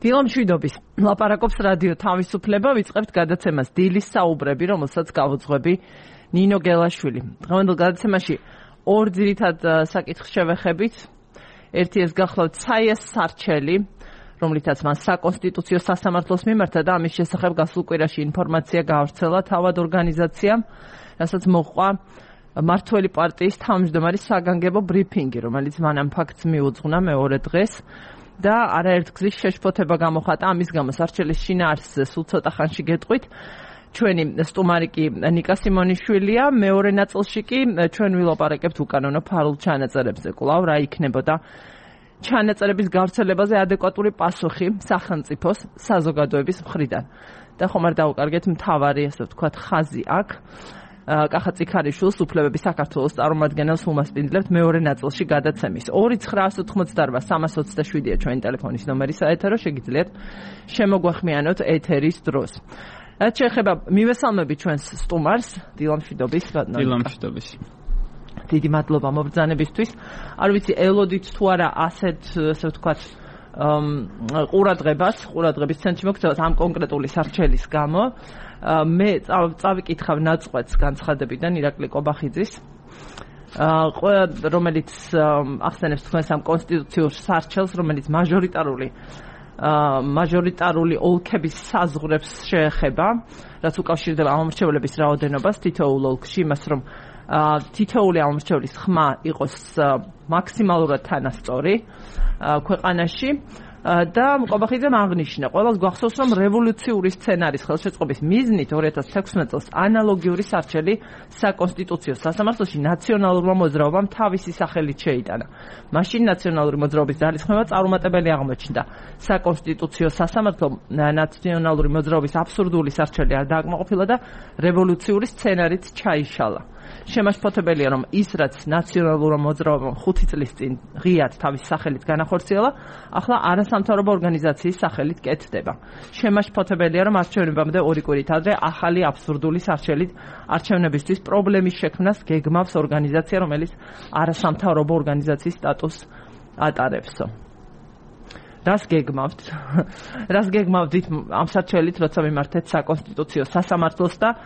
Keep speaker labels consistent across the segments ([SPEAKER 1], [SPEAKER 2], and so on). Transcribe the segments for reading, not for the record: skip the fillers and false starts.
[SPEAKER 1] დილა მშვიდობის. ლაპარაკობს რადიო თავისუფლება, ვიწყებთ გადაცემას დილის საუბრები, რომელსაც გავუძღვები ნინო გელაშვილი. დღევანდელ გადაცემაში ორ ძირითად საკითხს შევეხებით. ერთი ეს გახლავთ საიას სარჩელი, რომლითაც მან საკონსტიტუციო სასამართლოს მიმართა და ამის შესახებ გასულ კვირაში ინფორმაცია გაავრცელა თავად ორგანიზაციამ, რასაც მოჰყვა მართველი პარტიის თავმჯდომარის საგანგებო ბრიფინგი, რომელიც მან ამ ფაქტს მიუძღვნა მეორე დღეს და არაერთ გზის შეშფოთება გამოხატა ამის გამო სარჩელის შინაარსზე სულ ცოტა ხანში გეტყვით. ჩვენი სტუმარი კი ნიკა სიმონიშვილია, მეორე ნაწილში კი ჩვენ ვილაპარაკებთ უკანონო ფარულ ჩანაწერებზე. კვლავ რა იქნებოდა ჩანაწერების გავრცელებაზე ადეკვატური პასუხი სახელმწიფოს საზოგადოების მხრიდან. და ხომ არ დავუკარგეთ მთავარი, ასე ვთქვათ, ხაზი აქ. კახა წიქარიშვილს უფლებების საქართველოს წარმომადგენელს უმასპინძლებთ მეორე ნაწილში გადაცემის. 2-988-327-ია ჩვენი ტელეფონის ნომერი საეთერო, შეგიძლიათ შემოგვახმიანოთ ეთერის დროს. რაც შეეხება მივესალმები ჩვენს სტუმარს, დილა მშვიდობის.
[SPEAKER 2] დილა მშვიდობის.
[SPEAKER 1] დიდი მადლობა მობრძანებისთვის. არ ვიცი, ელოდით თუ არა ასეთ, ასე ვთქვათ, ყურადღების ცენტრში მოგწევთ ამ კონკრეტული სარჩელის გამო. მე წავიკითხავ ნაწყვეტს განცხადებიდან ირაკლი კობახიძის, რომელიც ახსენებს თქვენს ამ კონსტიტუციურ სარჩელს, რომელიც მაჟორიტარული ოლქების საზღვრებს შეეხება, რაც უკავშირდება ამომრჩევლების რაოდენობას თითოეულ ოლქში, იმას რომ თითოეული ამომრჩევლის ხმა იყოს მაქსიმალურად თანასწორი ქვეყანაში. და კობახიძემ აღნიშნა, ყველას გვახსოვს, რომ რევოლუციური სცენარის ხელშეწყობის მიზნით 2016 წელს ანალოგიური სარჩელი საკონსტიტუციო სასამართლოში ნაციონალურმა მოძრაობამ თავისი სახელით შეიტანა. მაშინ ნაციონალური მოძრაობის ძალისხმევა წარუმატებელი აღმოჩნდა. საკონსტიტუციო სასამართლომ ნაციონალური მოძრაობის აბსურდული სარჩელი არ დააკმაყოფილა და რევოლუციური სცენარით ჩაიშალა. შემაშფოთებელია, რომ ის, რაც ნაციონალურმა მოძრაობამ 5 წლის წინ ღიად თავის სახელით განახორციელა, ახლა არასამთავრობო ორგანიზაციის სახელით კეთდება. შემაშფოთებელია, რომ არჩევნებამდე 2 კვირით ადრე ახალი აბსურდული სარჩელით არჩევნებისთვის პრობლემის შექმნას გეგმავს ორგანიზაცია, რომელიც არასამთავრობო ორგანიზაციის სტატუსს ატარებსო. რას გეგმავდით ამ სარჩელით, როცა მიმართეთ საკონსტიტუციო სასამართლოს და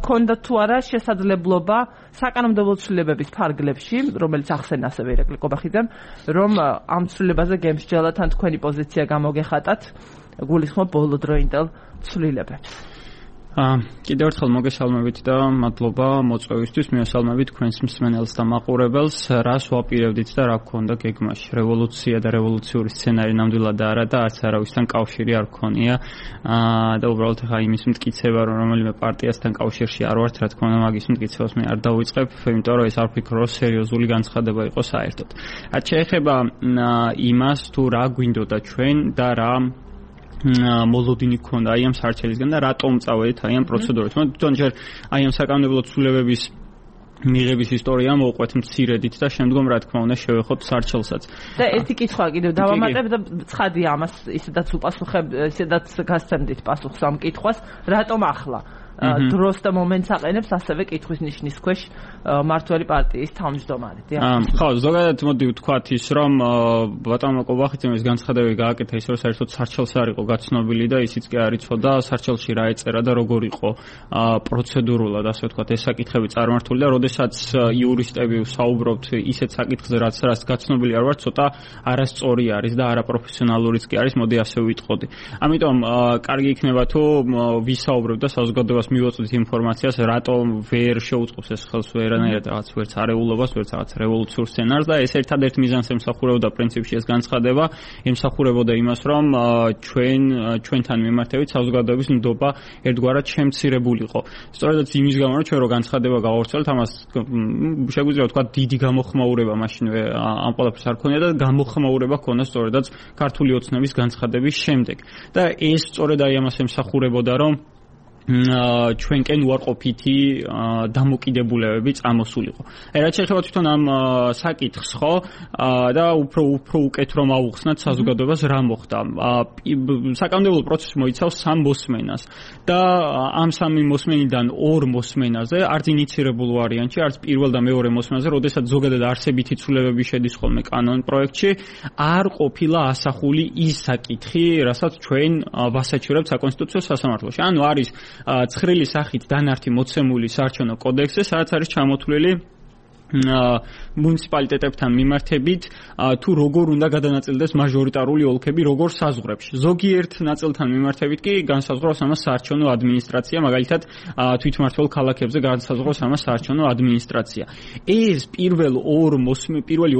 [SPEAKER 1] ქონდა თუ არა შესაძლებლობა საკანონმდებლო ცვლილებების ფარგლებში, რომელიც ახსენა ასევე ირაკლი კობახიძემ, რომ ამ ცვლილებაზე გემსჯელად ან თქვენი პოზიცია გამოგეხატათ, გულისხმობ ბოლოდროინდელ ცვლილებებს.
[SPEAKER 2] კიდევ ერთხელ მოგესალმებით და მადლობა მოწვევისთვის. მივესალმებით თქვენს მსმენელს და მაყურებელს. რას ვაპირებდით და რა გქონდა გეგმაში? რევოლუცია და რევოლუციური სცენარი ნამდვილად არა და არც არავისთან კავშირი არ გქონია. და უბრალოდ ხა იმის მტკიცება, რომ რომელიმე პარტიასთან კავშირში არ ვართ, რა თქმა უნდა, მაგის მტკიცებას მე არ დავიწყებ, იმიტომ რომ ეს არ ვფიქრობ, რომ სერიოზული განცხადება იყო საერთოდ. რაც შეეხება იმას, თუ რა გვინდოდა ჩვენ და რა მოლოდინი გქონდა აი ამ სარჩელისგან და რატომ წავედით აი ამ პროცედურით. თვითონ ჯერ აი ამ საკანონმდებლო ცვლილებების მიღების ისტორია მოვყვეთ მცირედით და შემდგომ რა თქმა უნდა შევეხოთ სარჩელსაც.
[SPEAKER 1] და ერთი კითხვა კიდევ დავამატებ და ცხადია ამას ისედაც გასცემდით პასუხს ამ კითხვას, რატომ ახლა დროს და მომენტს აყენებს ასევე კითხვის ნიშნის ქვეშ მართველი პარტიის თავმჯდომარე.
[SPEAKER 2] ხო, ზოგადად მოდი ვთქვათ ის, რომ ბატონო კობახიძემ ეს განცხადებები გააკეთა ის, რომ საერთოდ სარჩელს არ იყო გაცნობილი და ისიც კი არ იცოდა სარჩელში რა ეწერა და როგორ იყო პროცედურულად, ასე ვთქვათ, ეს საკითხები წარმართული და როდესაც იურისტები საუბრობთ ისეთ საკითხზე, რაც გაცნობილი არ ვარ, ცოტა არასწორი არის და არაპროფესიონალურიც კი არის, მოდი ასე ვიტყოდი. ამიტომ კარგი იქნება თუ ვისაუბრებ და საზოგადოებას მივაწვდით ინფორმაციას, რატომ ვერ შეუწყობს ეს ხელს ვერანაირად რაღაც ვერც არეულობას, ვერც რაღაც რევოლუციურ სცენარს და ეს ერთადერთ მიზანს ემსახურებოდა პრინციპში ეს განცხადება, ემსახურებოდა იმას, რომ ჩვენთან მიმართებით საზოგადოების ნდობა ერთგვარად შემცირებულიყო. სწორედაც იმის გამო, რომ ჩვენ რო განცხადება გავავრცელეთ, ამას შეგვიძლია ვთქვათ დიდი გამოხმაურება მაშინვე ამ ყველაფერს არ ქონია და გამოხმაურება ქონდა სწორედაც ქართული ოცნების განცხადების შემდეგ. და ეს სწორედ აი ამას ემსახურებოდა, რომ ჩვენკენ უარყოფითი დამოკიდებულებები წამოსულიყო. რაც შეეხება თვითონ ამ საკითხს, ხო, და უფრო უკეთ რომ ავუხსნათ საზოგადოებას რა მოხდა. საკანონმდებლო პროცესი მოიცავს 3 მოსმენას და ამ 3 მოსმენიდან 2 მოსმენაზე, არც ინიცირებულ ვარიანტში, არც პირველ და მეორე მოსმენაზე, როდესაც ზოგადად არსებითი ცვლილებები შედის ხოლმე კანონ პროექტში, არ ყოფილა ასახული ის საკითხი, რასაც ჩვენ ვასაჩივრებთ საკონსტიტუციო სასამართლოში. ანუ არის ცხრილი სახით დანართი მოცემული საარჩევნო კოდექსზე, სადაც არის ჩამოთვლილი მუნიციპალიტეტებთან მიმართებით თუ როგორ უნდა გადანაწილდეს მაჟორიტარული ოლქები როგორ საზღვრებში. ზოგიერთ ნაწილთან მიმართებით კი განსაზღვრავს ამას საარჩევნო ადმინისტრაცია, მაგალითად თვითმმართველ ქალაქებზე განსაზღვრავს ამას საარჩევნო ადმინისტრაცია. ეს პირველი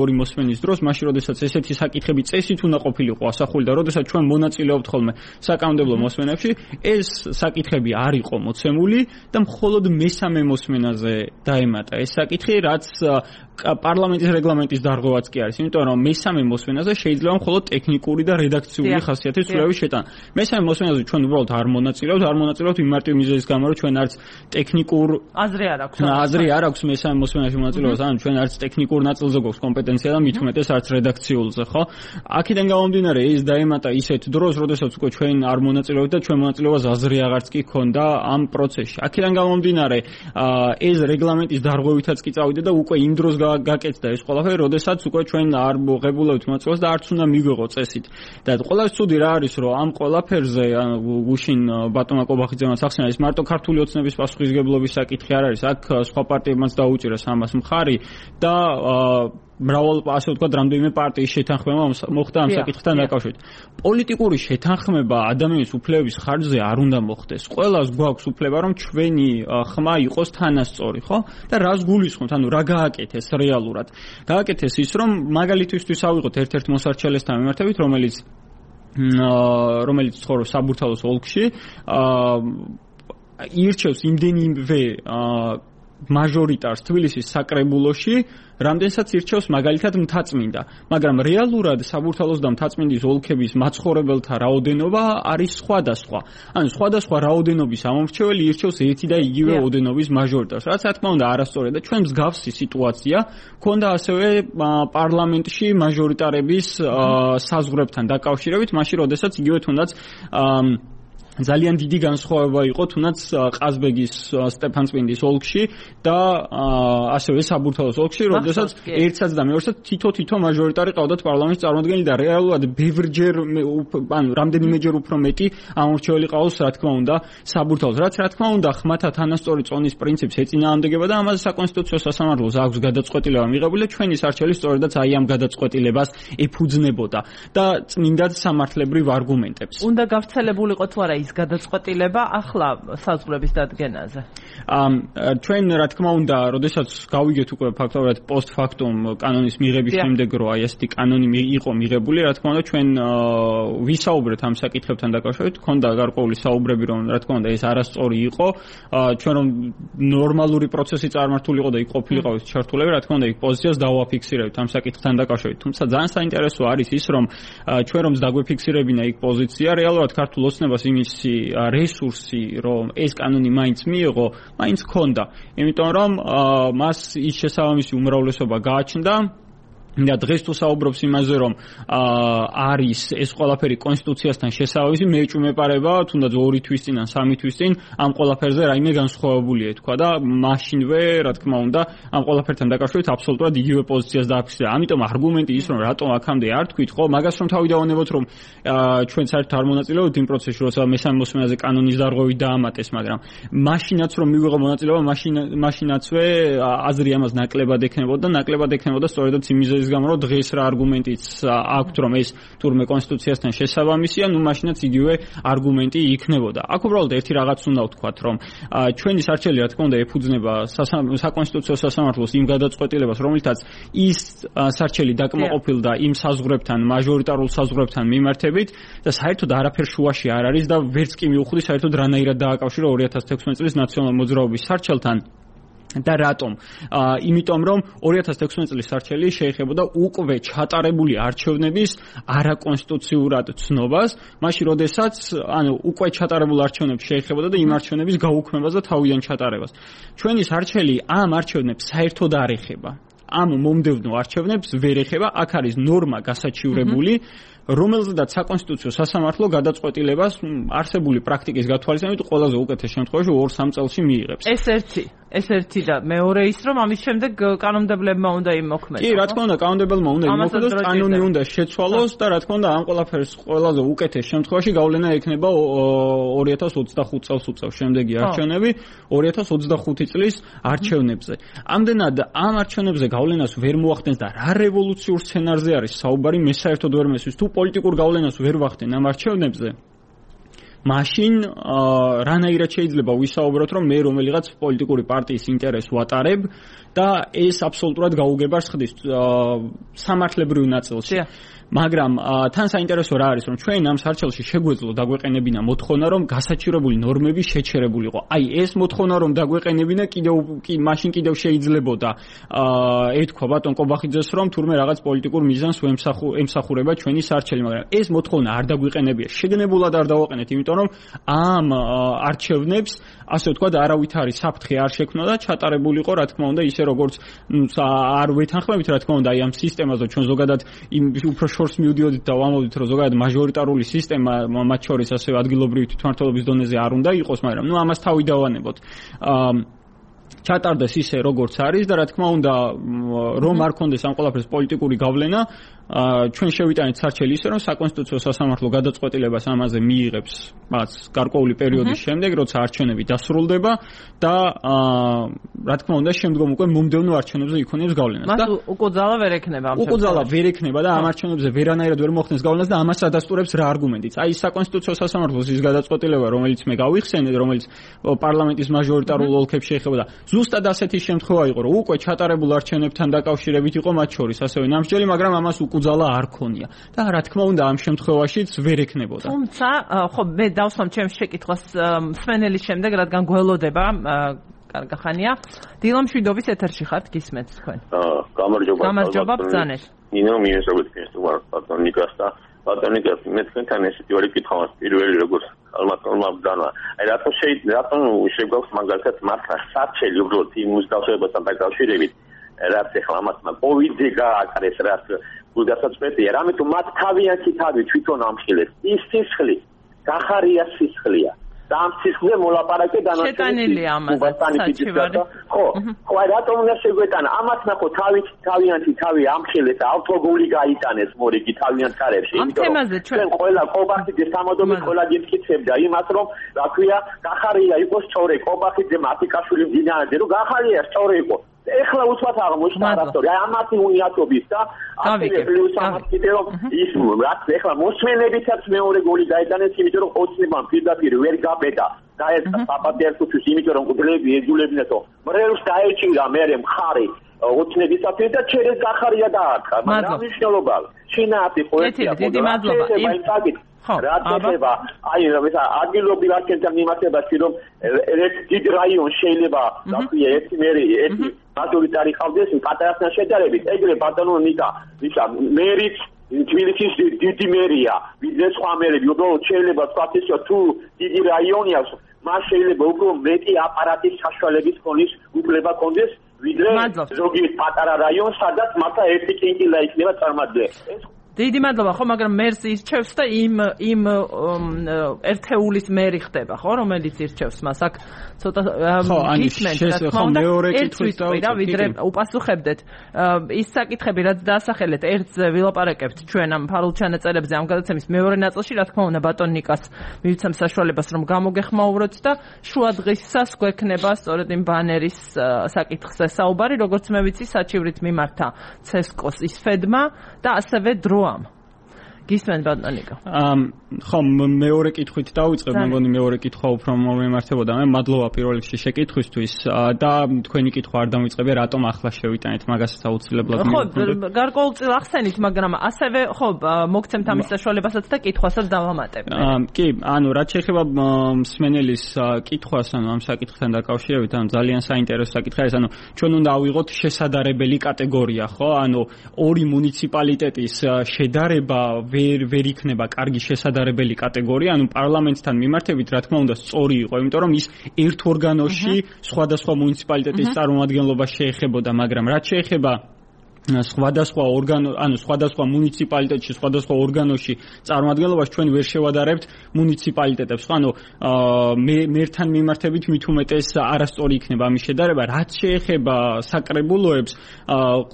[SPEAKER 2] 2 მოსმენის დროს, მაშინ როდესაც ესეთი საკითხები წესით უნდა ყოფილიყო ასახული და როდესაც ჩვენ მონაწილეობთ ხოლმე საკანონმდებლო მოსმენებში, ეს საკითხები არ იყო მოცემული და მხოლოდ მესამე მოსმენაზე დაემატა ეს საკითხი, რაც პარლამენტის რეგლამენტის დარღვევაც კი არის, იმიტომ რომ მესამე მოსმენაზე შეიძლება მხოლოდ ტექნიკური და რედაქციული ხასიათის ცვლილების შეტანა. მესამე მოსმენაზე ჩვენ უბრალოდ არ მონაწილეობთ იმ მარტივ მიზეზის გამო, რომ ჩვენ არც ტექნიკურ აზრი არ აქვს მესამე მოსმენაში მონაწილეობას, ანუ ჩვენ არც ტექნიკურ ნაწილზე გვაქვს კომპეტენცია და მით უმეტეს არც რედაქციულზე, ხო? აქედან გამომდინარე ის დაემატა ისეთ დროს, როდესაც უკვე ჩვენ არ მონაწილეობთ და ჩვენ მონაწილეობას აზრი აღარც კი ქონდა ამ პროცესში. აქედან გამომდინარე ეს რეგლამენტის დარღვევითაც კი წავიდა და უკვე იმ დროს გაკეთდა ეს ყველაფერი, როდესაც უკვე ჩვენ არ მოღებულებთ მონაწილეობას და არც უნდა მიგვიღო წესით. და ყველაზე ცუდი რა არის, რომ ამ ყველაფერზე გუშინ ბატონმა კობახიძემაც ახსენა, ეს მარტო ქართული ოცნების პასუხისგებლობის საკითხი არ არის, აქ სხვა პარტიებმაც დაუჭირეს ამას მხარი და მრავალ ასე ვთქვათ, რამდენიმე პარტიის შეთანხმება მოხდა ამ საკითხთან დაკავშირებით. პოლიტიკური შეთანხმება ადამიანის უფლებების ხარჯზე არ უნდა მოხდეს. ყველას გვაქვს უფლება, რომ ჩვენი ხმა იყოს თანასწორი, ხო? და რას გულისხმობთ? ანუ რა გააკეთეს რეალურად? გააკეთეს ის, რომ მაგალითისთვის ავიღოთ ერთ-ერთ მოსარჩელესთან მიმართებით, რომელიც ცხოვრობს საბურთალოს ოლქში, ირჩევს იმდენივე მაჟორიტარს თბილისის საკრებულოში, რამდენსაც ირჩევს მაგალითად მთაწმინდა, მაგრამ რეალურად საბურთალოს და მთაწმინდის ოლქების მაცხოვრებელთა რაოდენობა არის სხვადასხვა. ანუ სხვადასხვა რაოდენობის ამომრჩეველი ირჩევს ერთი და იგივე ოდენობის მაჟორიტარს. რაც რა თქმა უნდა არასწორია და ჩვენ მსგავსი სიტუაცია ქონდა ასევე პარლამენტში მაჟორიტარების საზღვრებთან დაკავშირებით, მაშინ როდესაც იგივე თუნდაც ძალიან დიდი განსხვავება იყო თუნდაც ყაზბეგის სტეფანწმინდის ოლქში და ასევე საბურთალოს ოლქში, როდესაც ერთსაც და მეორესაც თითო მაჟორიტარი ყავდათ პარლამენტის წარმომადგენელი და რეალურად ბევრჯერ ანუ რამდენიმეჯერ უფრო მეტი ამორჩეველი ყავს, რა თქმა უნდა, საბურთალოს. რაც რა თქმა უნდა ხმათა თანასწორი წონის პრინციპს ეწინააღმდეგება და ამაზე საკონსტიტუციო სასამართლოს აქვს გადაწყვეტილება მიღებული და ჩვენი სარჩელი სწორედაც აი ამ გადაწყვეტილებას ეფუძნებოდა და წმინდად სამართლებრივ არგუმენტებს.
[SPEAKER 1] უნდა გავრცელებულიყო თუ არა ის გადაწყვეტილება ახლა საზღვრების დადგენაზე?
[SPEAKER 2] ჩვენ რა თქმა უნდა, როდესაც გავიგეთ უკვე ფაქტობრივად პოსტფაქტუმ კანონის მიღების შემდეგ, რომ აი ესეთი კანონი იყო მიღებული, რა თქმა უნდა, ჩვენ ვისაუბრეთ ამ საკითხებთან დაკავშირებით, ქონდა გარკვეული საუბრები, რომ რა თქმა უნდა ეს არასწორი იყო, ჩვენ რომ ნორმალური პროცესი წარმართულიყო და იქ ყოფილიყო ეს ჩართულები, რა თქმა უნდა, იქ პოზიციას დავაფიქსირებთ ამ საკითხთან დაკავშირებით. თუმცა ძალიან საინტერესო არის ის, რომ ჩვენ რომ დაგვეფიქსირებინა იქ პოზიცია, რეალურად ქართულ ოცნებას იმის რესურსი, რომ ეს კანონი მაინც მიიღო, მაინც ქონდა. იმიტომ რომ მას ის შესაბამისი უმრავლესობა გააჩნდა და დღეს თუ საუბრობს იმაზე, რომ არის ეს ყველაფერი კონსტიტუციასთან შესაბამისი, მე ეჭვმეპარება, თუნდაც 2 თვის წინ ან 3 თვის წინ ამ ყველაფერზე რაიმე განსხვავებულია თქვა და მაშინვე, რა თქმა უნდა, ამ ყველაფერთან დაკავშირებით აბსოლუტურად იგივე პოზიციას დააფიქსირა. ამიტომ არგუმენტი ის, რომ რატომ აქამდე არ თქვით, ხო, მაგას რომ თავი დავანებოთ, რომ ჩვენ საერთოდ არ მონაწილეობთ იმ პროცესში, როცა მესამე მოსმენაზე კანონის დარღვევით დაამატეს, მაგრამ მაშინაც რომ მივიღო მონაწილეობა, მაშინაცვე აზრი ამას ნაკლებად ექნებოდა და ნაკლებად ექნებოდა სწორედაც იმ მიზეზის გამო, რომ დღეს რა არგუმენტიც აქვთ, რომ ეს თურმე კონსტიტუციასთან შესაბამისია, ნუ მაშინაც იგივე არგუმენტი იქნებოდა. აქ უბრალოდ ერთი რაღაც უნდა ვთქვათ, რომ ჩვენი სარჩელი რა თქმა უნდა ეფუძნება საკონსტიტუციო სასამართლოს იმ გადაწყვეტილებას, რომელთაც ის სარჩელი დაკმაყოფილდა იმ საზღვრებთან, მაჟორიტარულ საზღვრებთან მიმართებით და საერთოდ არაფერ შუაში არ არის და ვერც კი მიუხვდი საერთოდ რანაირად დააკავშირა 2016 წლის ნაციონალურ მოძრაობის სარჩელთან. და რატომ? იმიტომ რომ 2016 წლის არჩევნები შეეხებოდა უკვე ჩატარებული არჩევნების არაკონსტიტუციურად ცნობას, მაშინ როდესაც უკვე ჩატარებულ არჩევნებს შეეხებოდა და იმ არჩევნების გაუქმებას და თავიდან ჩატარებას. ჩვენი სარჩელი ამ არჩევნებს საერთოდ არ ეხება. ამ მომდევნო არჩევნებს ვერ ეხება, აქ არის ნორმა გასაჩივრებული, რომელზედაც საკონსტიტუციო სასამართლო გადაწყვეტილებას არსებული პრაქტიკის გათვალისწინებით ყველაზე უკეთეს შემთხვევაში 2-3 წელში მიიღებს.
[SPEAKER 1] ეს ერთი და მეორე ის რომ ამის შემდეგ კანონმდებლებმა უნდა იმოქმედოს.
[SPEAKER 2] კი, რა თქმა უნდა, კანონმდებლებმა უნდა იმოქმედოს, კანონი უნდა შეცვალოს და რა თქმა უნდა, ამ ყველაფერს ყველაზე უკეთეს შემთხვევაში გავლენა ექნება 2025 წელს უწევს შემდეგი არჩევნები 2025 წლის არჩევნებზე. ამდენად ამ არჩევნებზე გავლენას ვერ მოახდენს და რა რევოლუციურ სცენარზე არის საუბარი, მე საერთოდ ვერ მესმის. თუ პოლიტიკურ გავლენას ვერ ვახდენ ამ არჩევნებზე, მაშინ რანაირად შეიძლება ვისაუბროთ, რომ მე რომელიღაც პოლიტიკური პარტიის ინტერესს ვატარებ და ეს აბსოლუტურად გაუგებარს ხდის სამართლებრივ ნაწილში. მაგრამ თან საინტერესო რა არის, რომ ჩვენ ამ სარჩელში შეგვეძლო დაგვეყენებინა მოთხოვნა, რომ გასაჩივრებული ნორმები შეჩერებულიყო. აი ეს მოთხოვნა რომ დაგვეყენებინა მაშინ კიდევ შეიძლებოდა ეთქვა ბატონ კობახიძეს, რომ თურმე რაღაც პოლიტიკურ მიზანს ემსახურება ჩვენი სარჩელი, მაგრამ ეს მოთხოვნა არ დაგვეყენებია. შეგნებულად არ დავაყენეთ, იმიტომ რომ ამ არჩევნებს ასე ვთქვათ, არავითარი საფრთხე არ შექმნა და ჩატარებულიყო, რა თქმა უნდა, ისე როგორც არ ვეთანხმებით, რა თქმა უნდა, აი ამ სისტემაზე ჩვენ ზოგადად უფრო შორს მივდიოდით და ვამბობთ, რომ ზოგადად მაჟორიტარული სისტემა მათ შორის ასევე ადგილობრივი თვითმმართველობის დონეზე არ უნდა იყოს, მაგრამ ამას თავი დავანებოთ. ჩატარდეს ისე როგორც არის და რა თქმა უნდა, რომ არ კონდეს ამ ყველაფერს პოლიტიკური გავლენა, ჩვენ შევიტანეთ სარჩელი ისე, რომ საკონსტიტუციო სასამართლო გადაწყვეტილებას ამაზე მიიღებს მას გარკვეული პერიოდის შემდეგ, როცა არჩევნები დასრულდება და რა თქმა უნდა, შემდგომ უკვე მომდევნო არჩევნებზე იქონებს გავლენას.
[SPEAKER 1] და უკუძალა ვერ ექნება ამ
[SPEAKER 2] უკუძალა ვერ ექნება და ამ არჩევნებზე ვერანაირად ვერ მოხდენს გავლენას და ამას ადასტურებს რა არგუმენტიც. აი საკონსტიტუციო სასამართლოს ის გადაწყვეტილება, რომელიც მე გავიხსენე, რომელიც პარლამენტის მაჟორიტარულ ოლქებს შეეხებოდა, ზუსტად ასეთი შემთხვევა იყო, რომ უკვე ჩატარებულ არჩევნებთან დაკავშირებით იყო მათ შორის ასევე ნამსჯელი, მაგრამ ამას უკუძალა არ ქონია. და რა თქმა უნდა, ამ შემთხვევაშიც ვერ ექნებოდა.
[SPEAKER 1] თუმცა, ხო, მე დავსვამ ჩემს შეკითხვას სვენელის შემდეგ, რადგან გველოდება კარგახანია. დილამ შვიდობის ეთერში ხართ, გისმენთ თქვენ. გამარჯობა, ბრძანეთ.
[SPEAKER 3] ნინო მიესწრებით ბატონიკას და ბატონიკას მე თქვენთან ესეთი ორი კითხვა მაქვს. პირველი როგორც ალბათმა ბრძანა. აი რატომ შეგვაქვს მაგალითად მართლა სარჩელი უბრალოდ იმ მუსდავსებასთან დაკავშირებით, რაც ახლა ამასმა კოვიდი გააკრეს, რაც გულდასაწყვეტია, რამე თუ მათ თავიანთი თავი თვითონ ამხილებს. ის სისხლი, გახარია სისხლია. და ამ სისხლზე მოლაპარაკე
[SPEAKER 1] შეტანილია ამაზე საჩივარი.
[SPEAKER 3] ხო, აი რატომ უნდა შეგვეტანა? ამათ ნახო თავიანთი თავი ამხილეს, ავტოგული გაიტანეს მორიგი თავიანთ კარებში.
[SPEAKER 1] ამ თემაზე ჩვენ
[SPEAKER 3] ყველა კობახიძე სამოდობით ყველა გიფიქრებდა იმას, რომ რა ქვია, გახარია იყოს სწორი, კობახიძე მათიკაშვილი მდინარეზე, რომ გახარია სწორი იყო. ეხლა უცბად აღმოჩნდა რასტორი. აი ამათი უნიატობის და ასევე პლუს ამათ კიდევ ის რაც ეხლა მოსმენებითაც მეორე გოლი გაიტანეს, იმიტომ რომ ოცნებამ პირდაპირ ვერ გაბედა და ეს პაპადიარკუთვის, იმიტომ რომ კუდლები ეძულებინათო. მრევლს დაეჭირა მერე მხარი ოცნებისათვის და ჩერეს გახარია დაარქა. მაგრამ მნიშვნელობა შინაათი პოეტია.
[SPEAKER 1] დიდი მადლობა.
[SPEAKER 3] რა ხდება? აი ადგილობრივ არჩევნებთან მიმართებაში, რომ ერთ დიდ რაიონს შეიძლება რა ქვია ერთი მერი, ერთი მაჟორიტარი ყავდეს პატარასთან შედარებით. ეგრე ბატონო ნიკა, მერიც თბილისის დიდი მერია, ვიდრე სხვა მერები, უბრალოდ შეიძლება თქვათ ისე თუ დიდი რაიონია, მას შეიძლება უფრო მეტი აპარატის საშუალების ქონის უფლება კონდეს, ვიდრე ზოგიერთ პატარა რაიონს, სადაც მართლა ერთი კინკილა იქნება წარმატებული.
[SPEAKER 1] დიდი მადლობა, ხო, მაგრამ მერს ირჩევს და იმ ერთეულის მერი ხდება, ხო, რომელიც ირჩევს მას. აქ ცოტა გისმენთ, რა თქმა უნდა, ერთთვის ვიდა, ვიდრე უპასუხებდეთ. ის საკითხები, რაც დაასახელეთ, ერთზე ვილაპარაკებთ ჩვენ ამ ფარულ ჩანაწერებზე, ამ გადაცემის მეორე ნაწილში, რა თქმა უნდა, ბატონ ნიკას მივცემ საშუალებას, რომ გამოგეხმაუროთ და შუადღისას გვექნება სწორედ იმ ბანერის საკითხზე საუბარი, როგორც მე ვიცი, საჩივრით მიმართა ცესკოს ისფედმა და ასევე დროამ. გისმენ ბატონიკო.
[SPEAKER 2] ხო, მეორე კითხვით დავიწყებ, მე მგონი მეორე კითხვა უფრო მომემართებოდა. მე მადლობა პირველ რიგში შეკითხვისთვის და თქვენი კითხვა არ დამიწყებია, რატომ ახლა შევიტანეთ მაგასაც აუცილებლად
[SPEAKER 1] მივხვდეთ. ხო, გარკვეულწილ ახსენით, მაგრამ ასევე ხო, მოგცემთ ამის საშუალებასაც და კითხვასაც დავამატებთ.
[SPEAKER 2] კი, ანუ რაც შეეხება მსმენელის კითხვას, ანუ ამ საკითხთან დაკავშირებით, ანუ ძალიან საინტერესო საკითხია ეს, ანუ ჩვენ უნდა ავიღოთ შესაძლებელი კატეგორია, ხო? ანუ ორი მუნიციპალიტეტის შედარება ვერ იქნება კარგი შესაძლებელი კატეგორია, ანუ პარლამენტთან მიმართებით, რა თქმა უნდა, სწორი იყო, იმიტომ რომ ის ერთ ორგანოში სხვადასხვა მუნიციპალიტეტის წარმომადგენლობას შეეხებოდა, მაგრამ რაც შეეხება სხვადასხვა სხვადასხვა მუნიციპალიტეტში, სხვადასხვა ორგანოში წარმომადგენლობას ჩვენ ვერ შევადარებთ მუნიციპალიტეტებს. ანუ მერთან მიმართებით მით უმეტეს არასწორი იქნება ამის შედარება. რაც შეეხება საკრებულოებს,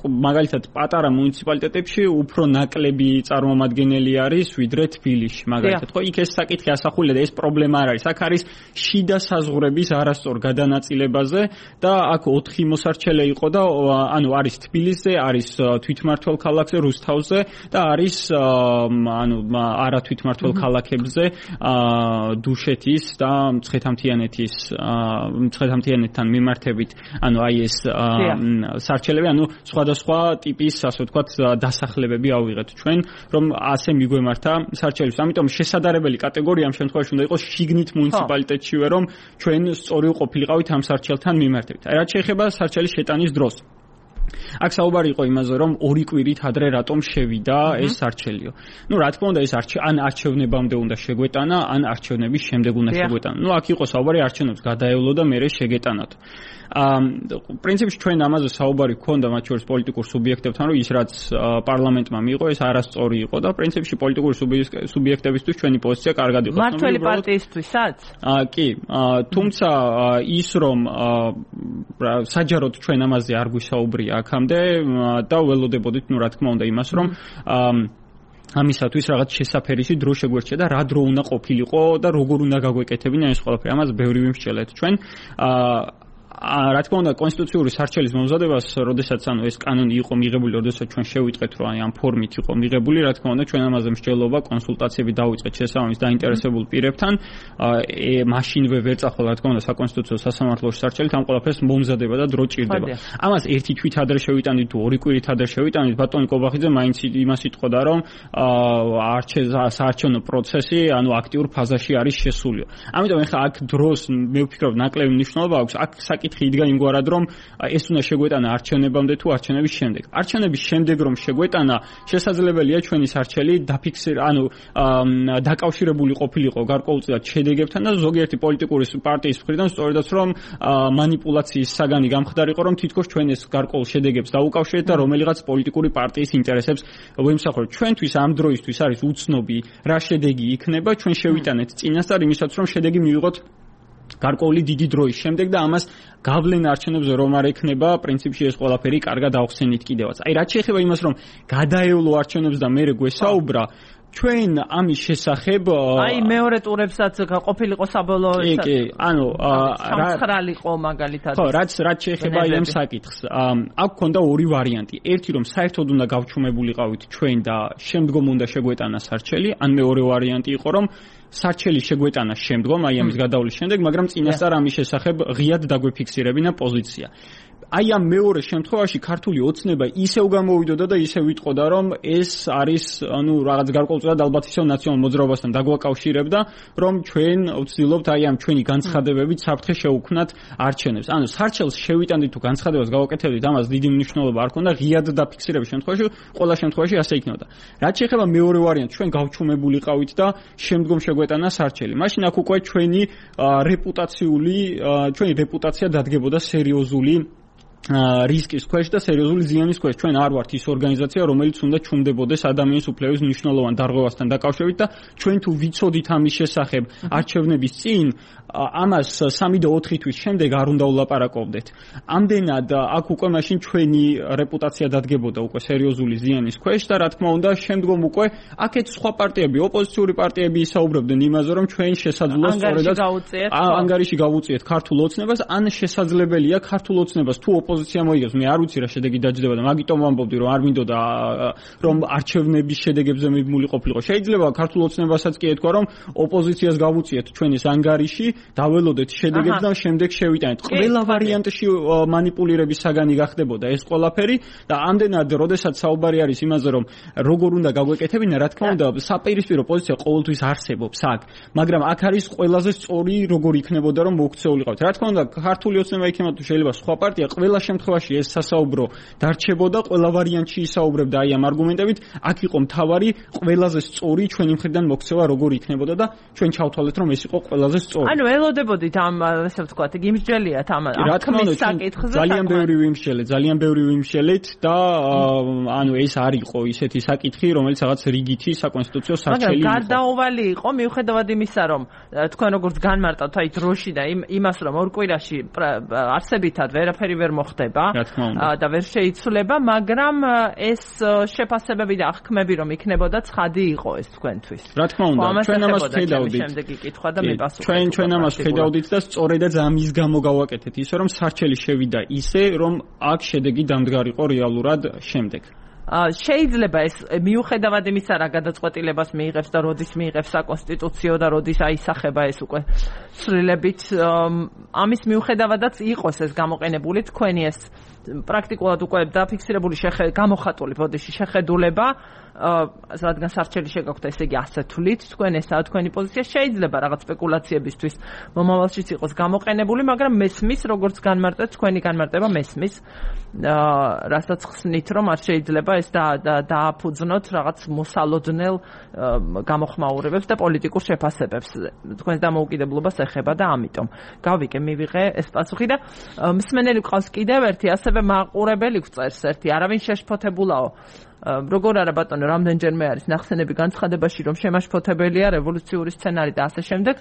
[SPEAKER 2] მაგალითად პატარა მუნიციპალიტეტებში უფრო ნაკლები წარმომადგენელი არის ვიდრე თბილისში, მაგალითად. ხო, იქ ეს საკითხი ასახულია და ეს პრობლემა არ არის. აქ არის შიდა საზღვრების არასწორ გადანაწილებაზე და აქ 4 მოსარჩელე იყო და ანუ არის თბილისზე, არის თვითმმართველ ქალაქზე, რუსთავზე და არის არა თვითმმართველ ქალაქებზე, დუშეთის და მცხეთამთიანეთთან მიმართებით, ანუ აი ეს სარჩელები, ანუ სხვადასხვა ტიპის, ასე ვთქვათ, დასახლებები ავიღეთ ჩვენ, რომ ასე მიგვემართა სარჩელებს. ამიტომ შესაძლებელი კატეგორია ამ შემთხვევაში უნდა იყოს შიგნით მუნიციპალიტეტშივე, რომ ჩვენ სწორი ყოფილიყავით ამ სარჩელთან მიმართებით. აი რაც შეეხება სარჩელის შეტანის დროს. აქ საუბარი იყო იმაზე, რომ 2 კვირით ადრე რატომ შევიდა ეს არჩელიო. ნუ რა თქმა უნდა, ეს ან არჩევნებამდე უნდა შეგვეტანა, ან არჩევნების შემდეგ უნდა შეგვეტანა. ნუ აქ იყო საუბარი არჩევნებს გადაევლო და მერე შეგეტანათ. პრინციპში ჩვენ ამაზე საუბარი გქონდა მათ შორის პოლიტიკურ სუბიექტებთან, რომ ის რაც პარლამენტმა მიიღო, ეს არასწორი იყო და პრინციპში პოლიტიკური სუბიექტებისთვის ჩვენი პოზიცია კარგად იყო.
[SPEAKER 1] მართველი პარტიისთვისაც?
[SPEAKER 2] კი, თუმცა ის რომ საჯაროდ ჩვენ ამაზე არ გვისაუბრია აქამდე და ველოდებოდით, ნუ რა თქმა უნდა იმას, რომ ამისათვის რაღაც შესაფერისი დრო შეგვერჩია და რა დრო უნდა ყოფილიყო და როგორ უნდა გაგვეკეთებინა ეს ყველაფერი. ამას ბევრი ვიმსჯელეთ ჩვენ. რა თქმა უნდა კონსტიტუციური სარჩელის მომზადებას, როდესაც ეს კანონი იყო მიღებული, როდესაც ჩვენ შევიტყეთ, რომ აი ამ ფორმით იყო მიღებული, რა თქმა უნდა ჩვენ ამაზე მსჯელობა, კონსულტაციები დავიწყეთ შესაბამის დაინტერესებულ პირებთან. მაშინვე ვერ წახვალ, რა თქმა უნდა, საკონსტიტუციო სასამართლოში სარჩელით ამ ყველაფერს მომზადება და დრო ჭირდება. ამას ერთი თვით ადრე შევიტანით თუ 2 კვირით ადრე შევიტანით, ბატონი კობახიძე მაინც იმას იტყოდა, რომ საარჩევნო პროცესი, ანუ აქტიურ ფაზაში არის შესულიო. ამიტომ ეხლა აქ დროს მე ვფიქრობ ნაკლები მნიშვნელობა აქვს. აქ საკითხი იდგა იმგვარად, რომ ეს უნდა შეგვეტანა არჩევნებამდე თუ არჩევნების შემდეგ. არჩევნების შემდეგ რომ შეგვეტანა, შესაძლებელია ჩვენი სარჩელი დაკავშირებული ყოფილიყო გარკვეულწილად შედეგებთან და ზოგიერთი პოლიტიკური პარტიის მხრიდან სწორედაც რომ მანიპულაციის საგანი გამხდარიყო, რომ თითქოს ჩვენ ეს გარკვეულ შედეგებს დაუკავშირეთ და რომელიღაც პოლიტიკური პარტიის ინტერესებს ვემსახურებთ. ჩვენთვის ამ დროისთვის არის უცნობი რა შედეგი იქნება, ჩვენ შევიტანეთ წინასწარ იმისაც რომ შედეგი მივიღოთ გარკვეული დიდი დროის შემდეგ და ამას გავლენა არჩევნებზე რომ არ ექნება, პრინციპში ეს ყველაფერი კარგად ავხსენით კიდევაც. აი რაც შეეხება იმას, რომ გადაევლო არჩევნებს და მერე გვესაუბრა, ჩვენ ამის შესახებ
[SPEAKER 1] აი მეორე ტურებსაც ყოფილიყო საბოლოო
[SPEAKER 2] კი, ანუ
[SPEAKER 1] სამცხრალიყო მაგალითად.
[SPEAKER 2] ხო, რაც შეეხება ამ საკითხს. აქ ქონდა 2 ვარიანტი. ერთი რომ საერთოდ უნდა გავჩუმებულიყავით ჩვენ და შემდგომ უნდა შეგვეტანა სარჩელი, ან მეორე ვარიანტი იყო რომ სარჩელი შეგვეტანა შემდგომ, აი ამის გადავლის შემდეგ, მაგრამ წინასწარ ამის შესახებ ღიად დაგვეფიქსირებინა პოზიცია. აი ამ მეორე შემთხვევაში ქართული ოცნება ისევ გამოვიდოდა და ისევ ვიტყოდა, რომ ეს არის, ანუ რაღაც გარკვეულწილად ალბათ ისევ ნაციონალურ მოძრაობასთან დაგვაკავშირებდა, რომ ჩვენ ვცდილობთ აი ამ ჩვენი განცხადებებით საფრთხე შევუქმნათ არჩევნებს. ანუ სარჩელს შევიტანდით თუ განცხადებას გავაკეთებდით, ამას დიდი მნიშვნელობა არ ქონდა, ღიად დაფიქსირების შემთხვევაში, ყველა შემთხვევაში ასე იქნებოდა. რაც შეეხება მეორე ვარიანტს, ჩვენ გავჩუმებულიყავით და შემდგომ შეგვეტანა სარჩელი. მაშინ აქ უკვე ჩვენი რეპუტაცია დადგებოდა სერიოზული რისკის ქვეშ და სერიოზული ზიანის ქვეშ. ჩვენ არ ვართ ის ორგანიზაცია, რომელიც უნდა ჩუმდებოდეს ადამიანის უფლების მნიშვნელოვან დარღვევასთან დაკავშირებით და ჩვენ თუ ვიცოდით ამის შესახებ არჩევნების წინ, ამას 3 და 4 თვის შემდეგ არ უნდა ვლაპარაკობდეთ. ამდენად აქ უკვე მაშინ ჩვენი რეპუტაცია დადგებოდა უკვე სერიოზული ზიანის ქვეშ და რა თქმა უნდა შემდგომ უკვე აქეთ სხვა პარტიები, ოპოზიციური პარტიები ისაუბრებდნენ იმაზე, რომ ჩვენ შესაძლოა სწორედაც ანგარიში გავუწიეთ ქართულ ოცნებას, ან შესაძლებელია ქართულ ოცნებას თუ ოპოზიცია მოიგებს, მე არ ვიცი რა შედეგი დაჯდება და მაგიტომ ვამბობდი, რომ არ მინდოდა რომ არჩევნების შედეგებზე მიბმული ყოფილიყო. შეიძლება ქართულ ოცნებასაც კი ეთქვა, რომ ოპოზიციას გავუწიეთ ჩვენის ანგარიში, დაველოდეთ შედეგებს და შემდეგ შევიტანეთ. ყველა ვარიანტში манипулირების საგანი გახდებოდა ეს ყველაფერი და ამდენად, როდესაც საუბარი არის იმაზე, რომ როგორ უნდა გაგვეკეთებინა, რა თქმა უნდა, საპირისპირო პოზიცია ყოველთვის არსებობს აქ, მაგრამ აქ არის ყველაზე სწორი როგორ იქნებოდა რომ მოქცეულიყავთ. რა თქმა უნდა, ქართული ოცნება იქნება თუ შეიძლება სხვა პარტია, ყველა შემთხვევაში ეს სასაუბრო დარჩებოდა, ყველა ვარიანტში ისაუბრებდა აი ამ არგუმენტებით, აქ იყო მთავარი ყველაზე სწორი ჩვენი მხრიდან მოქცევა როგორ იქნებოდა და ჩვენ ჩავთვალეთ რომ ეს იყო ყველაზე სწორი.
[SPEAKER 1] ანუ ელოდებოდით ამ ესე ვთქვათ, იმსჯელიათ ამ
[SPEAKER 2] აღქმის საკითხზე. ძალიან ბევრი ვიმსჯელეთ და ანუ ეს არ იყო ისეთი საკითხი, რომელიც რაღაც რიგითი საკონსტიტუციო სარჩელი იყო.
[SPEAKER 1] მაგრამ გარდაუვალი იყო მიუხედავად იმისა, რომ თქვენ როგორც განმარტავთ აი დროში და იმას, რომ ორ კვირაში არსებითად ვერაფერი ვერ მოხდება და ვერ შეიცვლება, მაგრამ ეს შეფასებები და აღქმები რომ იქნებოდა ცხადი იყო ეს თქვენთვის.
[SPEAKER 2] რა თქმა უნდა, ჩვენ ამას ვხედავდით.
[SPEAKER 1] შემდეგი კითხვა და მიპასუხეთ.
[SPEAKER 2] ჩვენ ამას ვხედავდით და სწორედაც ამის გამო გავაკეთეთ ისე, რომ სარჩელი შევიდა ისე, რომ აქ შედეგი დამდგარიყო რეალურად შემდეგ.
[SPEAKER 1] შეიძლება ეს მიუხედავად იმისა, რა გადაწყვეტილებას მიიღებს და როდის მიიღებს საკონსტიტუციო და როდის აისახება ეს უკვე ცვლილებით, ამის მიუხედავადაც იყოს ეს გამოყენებული თქვენი ეს პრაქტიკულად უკვე დაფიქსირებული გამოხატული ბოდიში შეხედულება, რადგან სარჩელი შეგაქვთ, ესე იგი ასე თვლით, თქვენ ესაა თქვენი პოზიცია, შეიძლება რაღაც სპეკულაციებისთვის მომავალშიც იყოს გამოყენებული, მაგრამ მესმის, როგორც განმარტეთ, თქვენი განმარტება მესმის, რასაც ხსნით, რომ არ შეიძლება ეს დააფუძნოთ რაღაც მოსალოდნელ გამოხმაურებებს და პოლიტიკურ შეფასებებს. თქვენს დამოუკიდებლობას ეხება და ამიტომ გავიგე, მივიღე ეს პასუხი და მსმენელი ყავს კიდევ ერთი, ასევე მაყურებელი გვწერს ერთი, არავინ შეშფოთებულაო. როგორ არა ბატონო, რამდენჯერმე არის ნახსენები განცხადებაში, რომ შემაშფოთებელია რევოლუციური სცენარი და ასე შემდეგ.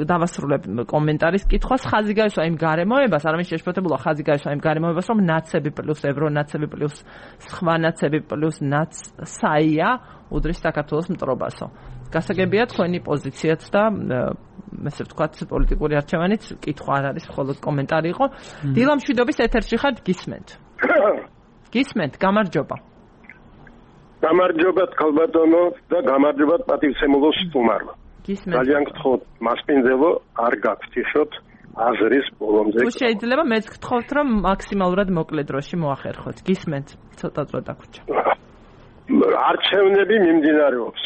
[SPEAKER 1] დავასრულებ კომენტარის კითხვას. ხაზი გაისვა იმ გარემოებას, არავინ შეშფოთებულა, ხაზი გაისვა იმ გარემოებას, რომ ნაცები პლუს ევრონაცები პლუს სხვა ნაცები პლუს ნაცსაია უდრის საქართველოს მტრობასო. გასაგებია თქვენი პოზიციაც და ესე ვთქვათ, პოლიტიკური არჩევანიც კითხვა არ არის, მხოლოდ კომენტარი იყო. დილამშვიდობის ეთერში ხართ, გისმენთ. გისმენთ, გამარჯობა.
[SPEAKER 4] გამარჯობა თქალბატონო და გამარჯობა პატივცემულო სტუმარმა. ძალიან გთხოვთ, მასპინძელო, არ გაგთიშოთ აზრის ბოლომდე.
[SPEAKER 1] თუ შეიძლება მეც გთხოვთ, რომ მაქსიმალურად მოკლე დროში მოახერხოთ. გისმენთ, ცოტა დრო დაგვრჩა.
[SPEAKER 4] არჩევნები მიმდინარეობს.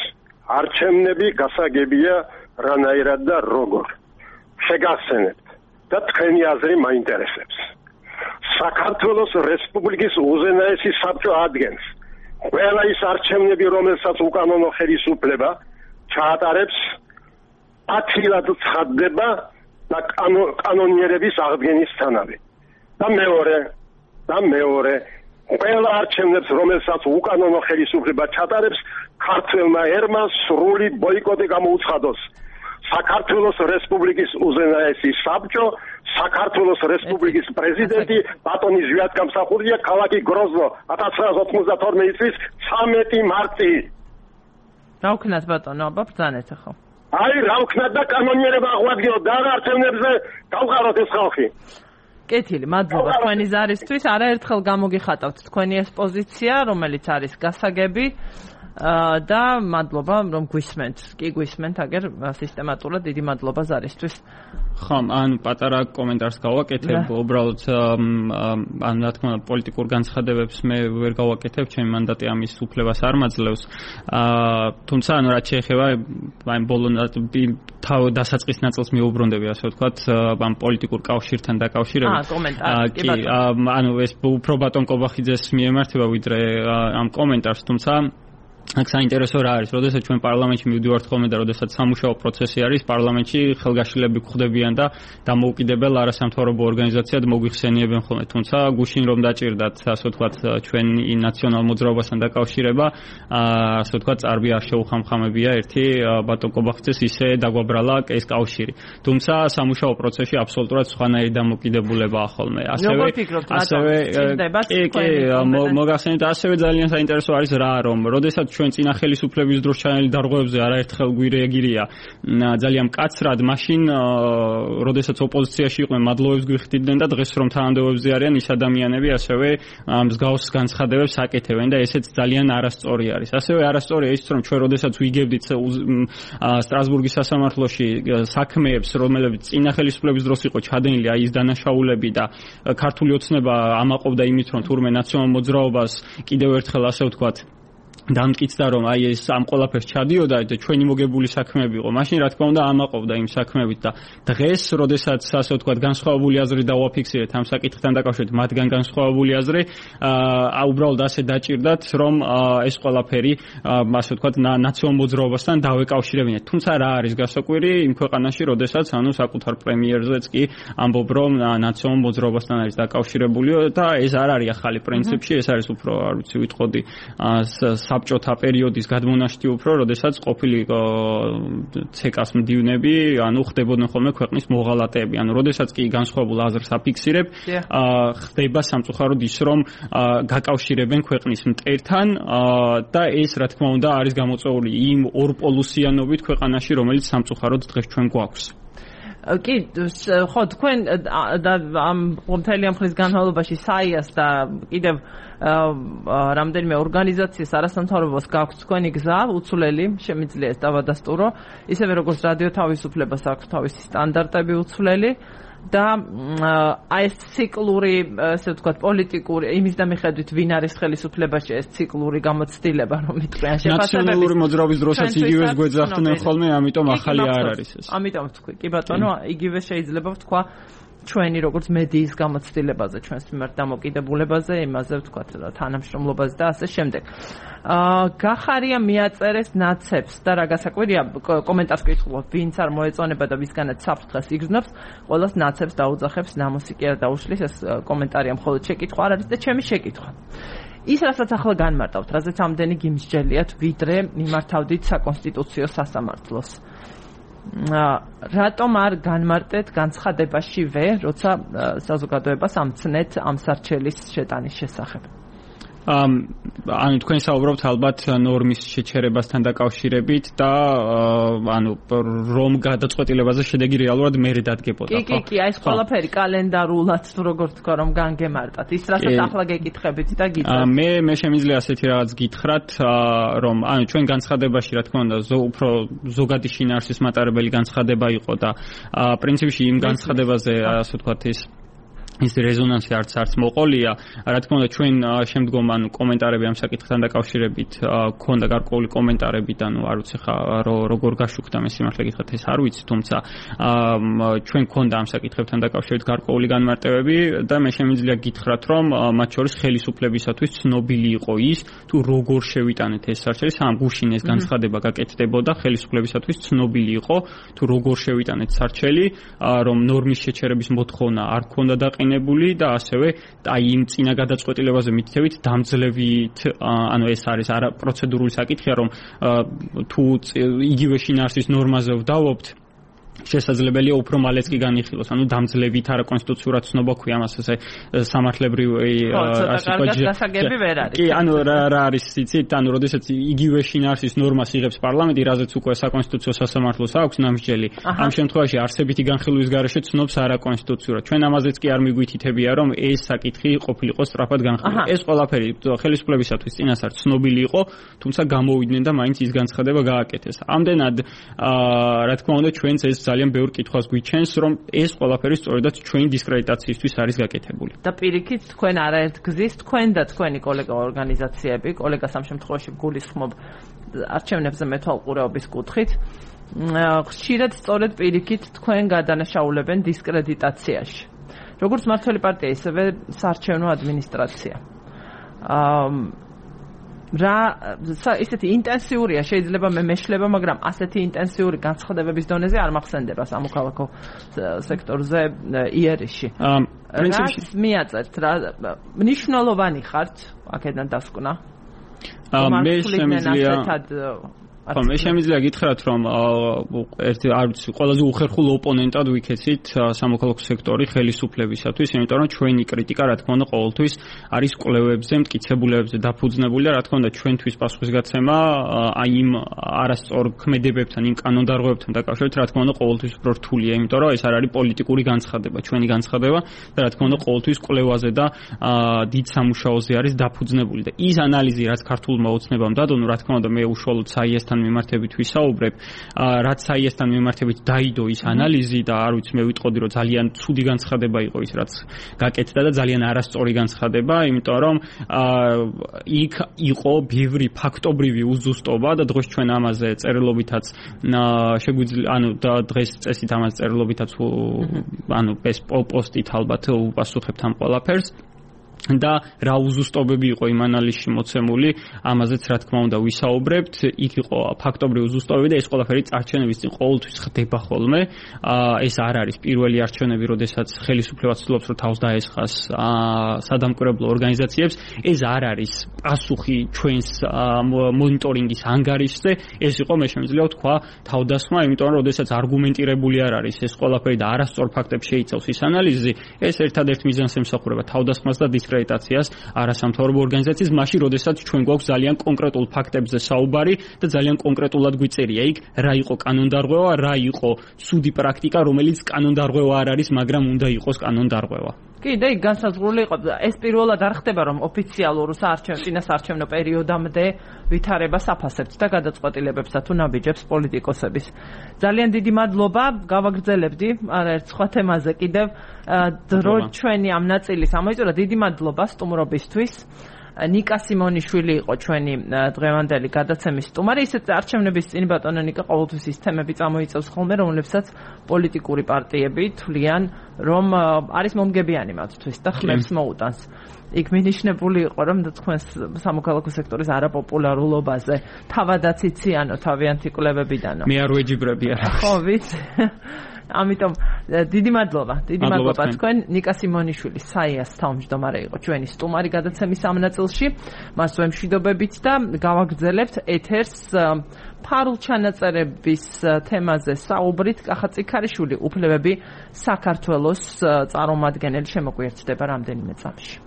[SPEAKER 4] არჩევნები გასაგებია რანაირად და როგორ. შეგახსენებთ და თქვენი აზრი მაინტერესებს. საქართველოს რესპუბლიკის უზენაესი საბჭო ადგენს ყველა ის არჩევნები, რომელსაც უკანონო ხელისუფლება ჩაატარებს, ათილად ცხადდება და კანონიერების აღდგენისთანავე. და მეორე, ყველა არჩევნებს, რომელსაც უკანონო ხელისუფლება ჩაატარებს, ქართველმა ერმა სრული ბოიკოტი გამოუცხადოს. საქართველოს რესპუბლიკის უზენაესი საბჭო, საქართველოს რესპუბლიკის პრეზიდენტი ბატონი ჟვიად გამსახურდია ქალაქი გროზნო 1992 წლის 13 მარტი.
[SPEAKER 1] რა ვქნათ ბატონო, აბა ბრძანეთ ახლა.
[SPEAKER 4] აი რა ვქნათ და კანონიერება აღვადგინოთ და არჩევნებზე გავყაროთ ეს ხალხი.
[SPEAKER 1] კეთილი, მადლობა თქვენი ზარისთვის. არაერთხელ გამოგიხატავთ თქვენი ეს პოზიცია, რომელიც არის გასაგები. და მადლობა რომ გვისმენთ. კი გვისმენთ, აგერ სისტემატურად დიდი მადლობა ზარისთვის.
[SPEAKER 2] ხომ, ან პატარა კომენტარს გავაკეთებ, უბრალოდ ან რა თქმა უნდა პოლიტიკურ განცხადებებს მე ვერ გავაკეთებ, ჩემი მანდატი ამის უფლებას არ მაძლევს. თუმცა ანუ რაც შეეხება აი ბოლო დასაწყის ნაწილს მიუბრუნდები, ასე ვთქვათ, ამ პოლიტიკურ კავშირთან დაკავშირებით.
[SPEAKER 1] კომენტარი, კი ბატონო.
[SPEAKER 2] ანუ ეს უფრო ბატონ კობახიძეს მიემართება ვიდრე ამ კომენტარს, თუმცა აქ საინტერესო რა არის, როდესაც ჩვენ პარლამენტში მივდივართ ხოლმე და როდესაც სამუშაო პროცესი არის, პარლამენტში ხელგაშლები გვხვდებიან და დამოუკიდებელ არასამთავრობო ორგანიზაციად მოგვიხსენიებენ ხოლმე. თუმცა გუშინ რომ დაჭირდათ, ასე ვთქვათ, ჩვენი ნაციონალურ მოძრაობასთან დაკავშირება, ასე ვთქვათ, წარბი არ შეუხამხამებია ერთი ბატონ კობახიძეს ისე დაგვაბრალა ეს კავშირი. თუმცა სამუშაო პროცესში აბსოლუტურად სხვანაირი დამოკიდებულებაა ხოლმე. მოგახსენეთ, ასევე ძალიან საინტერესო არის რა, რომ როდესაც ჩვენ წინა ხელისუფლების დროს ჩანელი დარღვევებზე არაერთხელ გვირეგირია ძალიან მკაცრად, მაშინ როდესაც ოპოზიციაში იყვნენ, მადლოვებს გვიხდიდნენ და დღეს რომ თანამდებობებზე არიან, ის ადამიანები ასევე მსგავს განცხადებებს აკეთებენ და ესეც ძალიან არასწორი არის. ასევე არასწორია ის, რომ ჩვენ როდესაც ვიგებდით სტრასბურგის სასამართლოში საქმეებს, რომელებიც წინა ხელისუფლების დროს იყო ჩადენილი, აი ის დანაშაულები და ქართული ოცნება ამაყობდა იმით, რომ თურმე ნაციონალურ მოძრაობას კიდევ ერთხელ ასე ვთქვათ დამტკიცდა რომ აი ეს ამ ყველაფერს ჩადიოდა და ჩვენი მოგებული საქმეები იყო. მაშინ რა თქმა უნდა ამაყობდა იმ საქმეებით და დღეს, როდესაც ასე ვთქვათ, განსხვავებული აზრი დავაფიქსირეთ ამ საკითხთან დაკავშირებით, მათგან განსხვავებული აზრი, უბრალოდ ასე დაჭირდათ, რომ ეს ყველაფერი ასე ვთქვათ, ნაციონალურ მოძრაობასთან დავეკავშირებინეთ. თუმცა რა არის გასაკვირი იმ ქვეყანაში, როდესაც ანუ საკუთარ პრემიერზეც კი ამბობ, რომ ნაციონალურ მოძრაობასთან არის დაკავშირებული და ეს არ არის ახალი პრინციპში, ეს არის უფრო, არ ვიცი, ვიტყოდი საბჭოთა პერიოდის გადმონაშთი უფრო, როდესაც ყოფილი ცეკას მდივნები, ანუ ხდებოდნენ ხოლმე ქვეყნის მოღალატეები. ანუ როდესაც კი განსხვავებულ აზრს აფიქსირებ, ხდება სამწუხაროდ ის, რომ გაკავშირებენ ქვეყნის მტერთან და ეს რა თქმა უნდა არის გამოწვეული იმ ორპოლუსიანობით ქვეყანაში, რომელიც სამწუხაროდ დღეს ჩვენ გვაქვს.
[SPEAKER 1] კი, ხო, თქვენ ამ მთელი ამ ხნის განმავლობაში საიას და კიდევ რამდენიმე ორგანიზაციის არასამთავრობოს გაქვთ თქვენი გზა უცვლელი, შემიძლია ეს დავადასტურო, ისევე როგორც რადიო თავისუფლებას აქვს თავისი სტანდარტები უცვლელი და აი ეს ციკლური, ასე ვთქვათ, პოლიტიკური იმის და მიხედვით ვინ არის ხელისუფლებაში, ეს ციკლური გამოცდილება რომ იტყვიან შეფასებები.
[SPEAKER 2] ნაციონალური მოძრაობის დროსაც იგივეს გვეძახდნენ ხოლმე, ამიტომ ახალი არ არის ეს.
[SPEAKER 1] ამიტომ ვთქვი, კი ბატონო, იგივე შეიძლება ვთქვა ჩვენი როგორც მედიის გამოცდილებაზე, ჩვენს მიმართ დამოკიდებულებაზე, იმაზე ვთქვათ, თანამშრომლობაზე და ასე შემდეგ. გახარია მიაწერეს ნაცებს და რა გასაკვირია, კომენტარს ვკითხულობ, ვინც არ მოეწონება და ვისგანაც საფრთხეს იგრძნობს, ყველას ნაცებს დაუძახებს, ნამოსი კი არ დაუშლის, ეს კომენტარია მხოლოდ შეკითხვა არ არის და ჩემი შეკითხვა. ის რასაც ახლა განმარტავთ, რაზეც ამდენი გიმსჯელიათ, ვიდრე მიმართავდით საკონსტიტუციო სასამართლოს. რატომ არ განმარტეთ განცხადებაშივე, როცა საზოგადოებას ამცნეთ ამ სარჩელის შეტანის შესახებ?
[SPEAKER 2] ანუ თქვენ საუბრობთ ალბათ ნორმის შეჩერებასთან დაკავშირებით და ანუ რომ გადაწყვეტილებაზე შედეგი რეალურად მერე დადგებოდა,
[SPEAKER 1] ხო? კი, აი ეს ყველაფერი კალენდარულად თუ როგორ თქვა რომ განგემარტათ. ის რასაც ახლა გეკითხებით და გიძებთ.
[SPEAKER 2] მე შემიძლია ასეთი რაღაც გითხრათ, რომ ანუ ჩვენ განცხადებაში რა თქმა უნდა უფრო ზოგადი შინაარსის მატარებელი განცხადება იყო და პრინციპში იმ განცხადებაზე ასე ვთქვათ ის რეზონანსი არც მოყოლია. რა თქმა უნდა ჩვენ შემდგომ ანუ კომენტარები ამ საკითხთან დაკავშირებით ქონდა გარკვეული კომენტარები და ანუ არ ვიცი ხა როგორ გაშუქდა მე სიმართლე გითხრათ ეს არ ვიცი, თუმცა ჩვენ ქონდა ამ საკითხებთან დაკავშირებით გარკვეული განმარტებები და მე შემიძლია გითხრათ რომ მათ შორის ხელისუფლებისათვის ცნობილი იყო ის თუ როგორ შევიტანეთ ეს სარჩელი, სამ გუშინ ეს განცხადება გაკეთდებოდა, ხელისუფლებისათვის ცნობილი იყო თუ როგორ შევიტანეთ სარჩელი, რომ ნორმის შეჩერების მოთხოვნა არ ქონდა დაყენებული და ასევე აი იმ წინა გადაწყვეტილებაზე მითითებით დამძლევით, ანუ ეს არის არა პროცედურული საკითხია, რომ თუ იგივე შინაარსის ნორმაზე ვდავობთ, შესაძლებელია უფრო მალეც კი განიხილოს, ანუ დამძლევით არა კონსტიტუციურად ცნობა ქვია ამას ესე სამართლებრივი
[SPEAKER 1] გასაგები ვერ არის.
[SPEAKER 2] კი, ანუ რა არის იცით, ანუ როდესაც იგივე შინაარსის ნორმას იღებს პარლამენტი, რაზეც უკვე საკონსტიტუციო სასამართლოს აქვს ნამსჯელი, ამ შემთხვევაში არსებითი განხილვის გარეშე ცნობს არა კონსტიტუციურად. ჩვენ ამაზეც კი არ მიგვითითებია, რომ ეს საკითხი ყოფილიყო სწრაფად განხილული. ეს ყველაფერი ხელისუფლებისათვის წინასწარ ცნობილი იყო, თუმცა გამოვიდნენ და მაინც ის განცხადება გააკეთეს. ამდენად რა თქმა უნდა ჩვენც ეს ძალიან ბევრ კითხვას გვიჩენს, რომ ეს ყველაფერი სწორედაც ჩვენი დისკრედიტაციისთვის არის გაკეთებული.
[SPEAKER 1] და პირიქით თქვენ არაერთ გზის, თქვენ და თქვენი კოლეგა ორგანიზაციები, კოლეგას ამ შემთხვევაში გულისხმობ არჩევნებზე მეთვალყურეობის კუთხით, ხშირად სწორედ პირიქით თქვენ გადანაშაულებენ დისკრედიტაციაში. როგორც მმართველი პარტია, ისევე საარჩევნო ადმინისტრაცია. რა ისეთი ინტენსიურია შეიძლება მე მეშლება, მაგრამ ასეთი ინტენსიური განცხადებების დონეზე არ მახსენდება სამოქალაქო სექტორზე იერიში. პრინციპში მიაწევთ რა მნიშვნელოვანი ხართ აქედან დასკვნა.
[SPEAKER 2] მე შემიძლია მე შემიძლია გითხრათ, რომ ერთი არ ვიცი, ყველაზე უხერხულ ოპონენტად ვიქეცით სამოქალაქო სექტორი ხელისუფლებისათვის, იმიტომ რომ ჩვენი კრიტიკა, რა თქმა უნდა, ყოველთვის არის კვლევებზე, მტკიცებულებებზე დაფუძნებული და რა თქმა უნდა, ჩვენთვის პასუხისგაცემა აი იმ არასწორ ქმედებებთან, იმ კანონდარღვევებთან დაკავშირებით, რა თქმა უნდა, ყოველთვის უფრო რთულია, იმიტომ რომ ეს არ არის პოლიტიკური განცხადება, ჩვენი განცხადება და რა თქმა უნდა, ყოველთვის კვლევაზე და დიდ სამუშაოზე არის დაფუძნებული და ის ანალიზი, რაც ქართულმა ოცნებამ დადო, რა თქმა უნდა, მე უშუალოდ საიესთან მიმართებით ვისაუბრებ, რაც საიესთან მიმართებით დაიდო ის ანალიზი და არ ვიცი მე ვიტყოდი რომ ძალიან ცუდი განცხადება იყო ის რაც გაკეთდა და ძალიან არასწორი განცხადება, იმიტომ რომ იქ იყო ბევრი ფაქტობრივი უზუსტობა და დღეს ჩვენ ამაზე წერილობითაც შეგვიძლია ანუ და დღეს წესით ამაზე წერილობითაც ანუ ეს პოსტით ალბათ უპასუხებთ ამ ყველაფერს. და რა უზუსტობები იყო იმ ანალიზში მოცემული, ამაზეც რა თქმა უნდა ვისაუბრებთ. იქ იყო ფაქტობრივი უზუსტობები და ეს ყველაფერი არჩევნების წინ ყოველთვის ხდება ხოლმე. ეს არ არის პირველი არჩევნები, როდესაც ხელისუფლება ცდილობს რომ თავს დაესხას სადამკვირვებლო ორგანიზაციებს. ეს არ არის პასუხი ჩვენს მონიტორინგის ანგარიშზე. ეს იყო მე შემიძლია ვთქვა თავდასხმა, იმიტომ რომ როდესაც არგუმენტირებული არ არის ეს ყველაფერი და არასწორ ფაქტებს შეიცავს ის ანალიზი, ეს ერთადერთ მიზანს ემსახურება თავდასხმას და დისკრედიტაციას არასამთავრობო ორგანიზაციის მაშინ, როდესაც ჩვენ გვაქვს ძალიან კონკრეტულ ფაქტებზე საუბარი და ძალიან კონკრეტულად გვიწერია იქ რა იყო კანონდარღვევა, რა იყო ცუდი პრაქტიკა, რომელიც კანონდარღვევა არ არის, მაგრამ უნდა იყოს კანონდარღვევა.
[SPEAKER 1] კი, და იქ განსაზღვრული იყო. ეს პირველად არ ხდება, რომ ოფიციალურ წინასაარჩევნო პერიოდამდე ვითარებას აფასებთ და გადაწყვეტილებებსა თუ ნაბიჯებს პოლიტიკოსების. ძალიან დიდი მადლობა, გავაგრძელებდი ერთ სხვა თემაზე კიდევ დრო ჩვენი ამ ნაწილის ამოიწურა. დიდი მადლობა სტუმრობისთვის. ნიკა სიმონიშვილი იყო ჩვენი დღევანდელი გადაცემის სტუმარი. ისეთ არჩევნების წინ ბატონო ნიკა ყოველთვის ის თემები წამოიწევს ხოლმე, რომლებსაც პოლიტიკური პარტიები თვლიან, რომ არის მომგებიანი მათთვის და ხმებს მოუტანს. იქ მინიშნებული იყო, რომ თქვენს სამოქალაქო სექტორის არაპოპულარულობაზე თავადაც იციანო თავიანთი კვლევებიდანო.
[SPEAKER 2] მე არ ვეჯიბრები არა.
[SPEAKER 1] ხო, ვიცი. ამიტომ დიდი მადლობა თქვენ. ნიკა სიმონიშვილი საიას თავმჯდომარე იყო ჩვენი სტუმარი გადაცემის ამ ნაწილში. მას ვემშვიდობებით და გავაგრძელებთ ეთერს ფარულ ჩანაწერების თემაზე საუბრით. კახა წიქარიშვილი უფლებები საქართველოს წარმომადგენელი შემოგვიერთდება რამდენიმე წამში.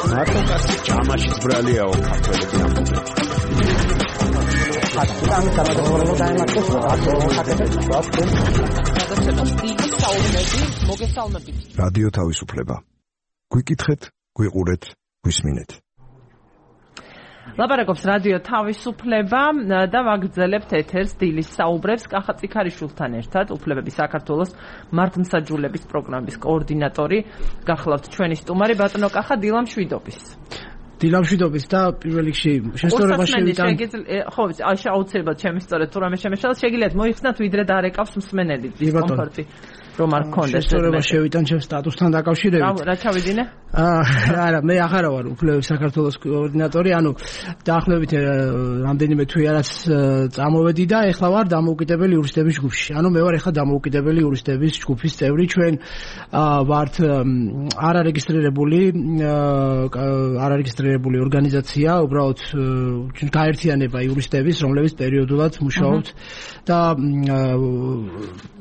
[SPEAKER 5] ნარკოტიკი ჯამაშიც ბრალიაო ქართველები ამბობენ. რადიო თავისუფლება. გვიკითხეთ, გვიყურეთ, გვისმინეთ.
[SPEAKER 1] ლაპარაკობს რადიო თავისუფლება და ვაგრძელებთ ეთერს დილის საუბრებს კახა წიქარიშვილთან ერთად, უფლებები საქართველოს მართლმსაჯულების პროგრამის კოორდინატორი. გახლავთ ჩვენი სტუმარი ბატონო კახა დილამშვიდობის.
[SPEAKER 6] დილამშვიდობის და პირველ რიგში შესწორება შევიტან.
[SPEAKER 1] ხო, აუცილებლად ჩემი სწორედ თუ რამე შემეშალ შეგიძლიათ მოიხსნათ ვიდრე დაარეკავს მსმენელი დისკომფორტი. რომ არ გქონდეს
[SPEAKER 6] შესწორება შევიტან ჩემს სტატუსთან დაკავშირებით.
[SPEAKER 1] რა ჩავიდინე?
[SPEAKER 6] არა, მე აღარა ვარ უფლებების საქართველოს კოორდინატორი, ანუ დაახლოებით რამდენიმე თვე არაც წამოვედი და ეხლა ვარ დამოუკიდებელი იურისტების ჯგუფში. ანუ მე ვარ ეხლა დამოუკიდებელი იურისტების ჯგუფის წევრი. ჩვენ ვართ არარეგისტრირებული ორგანიზაცია, უბრალოდ გაერთიანება იურისტების, რომლებიც პერიოდულად მუშაობთ და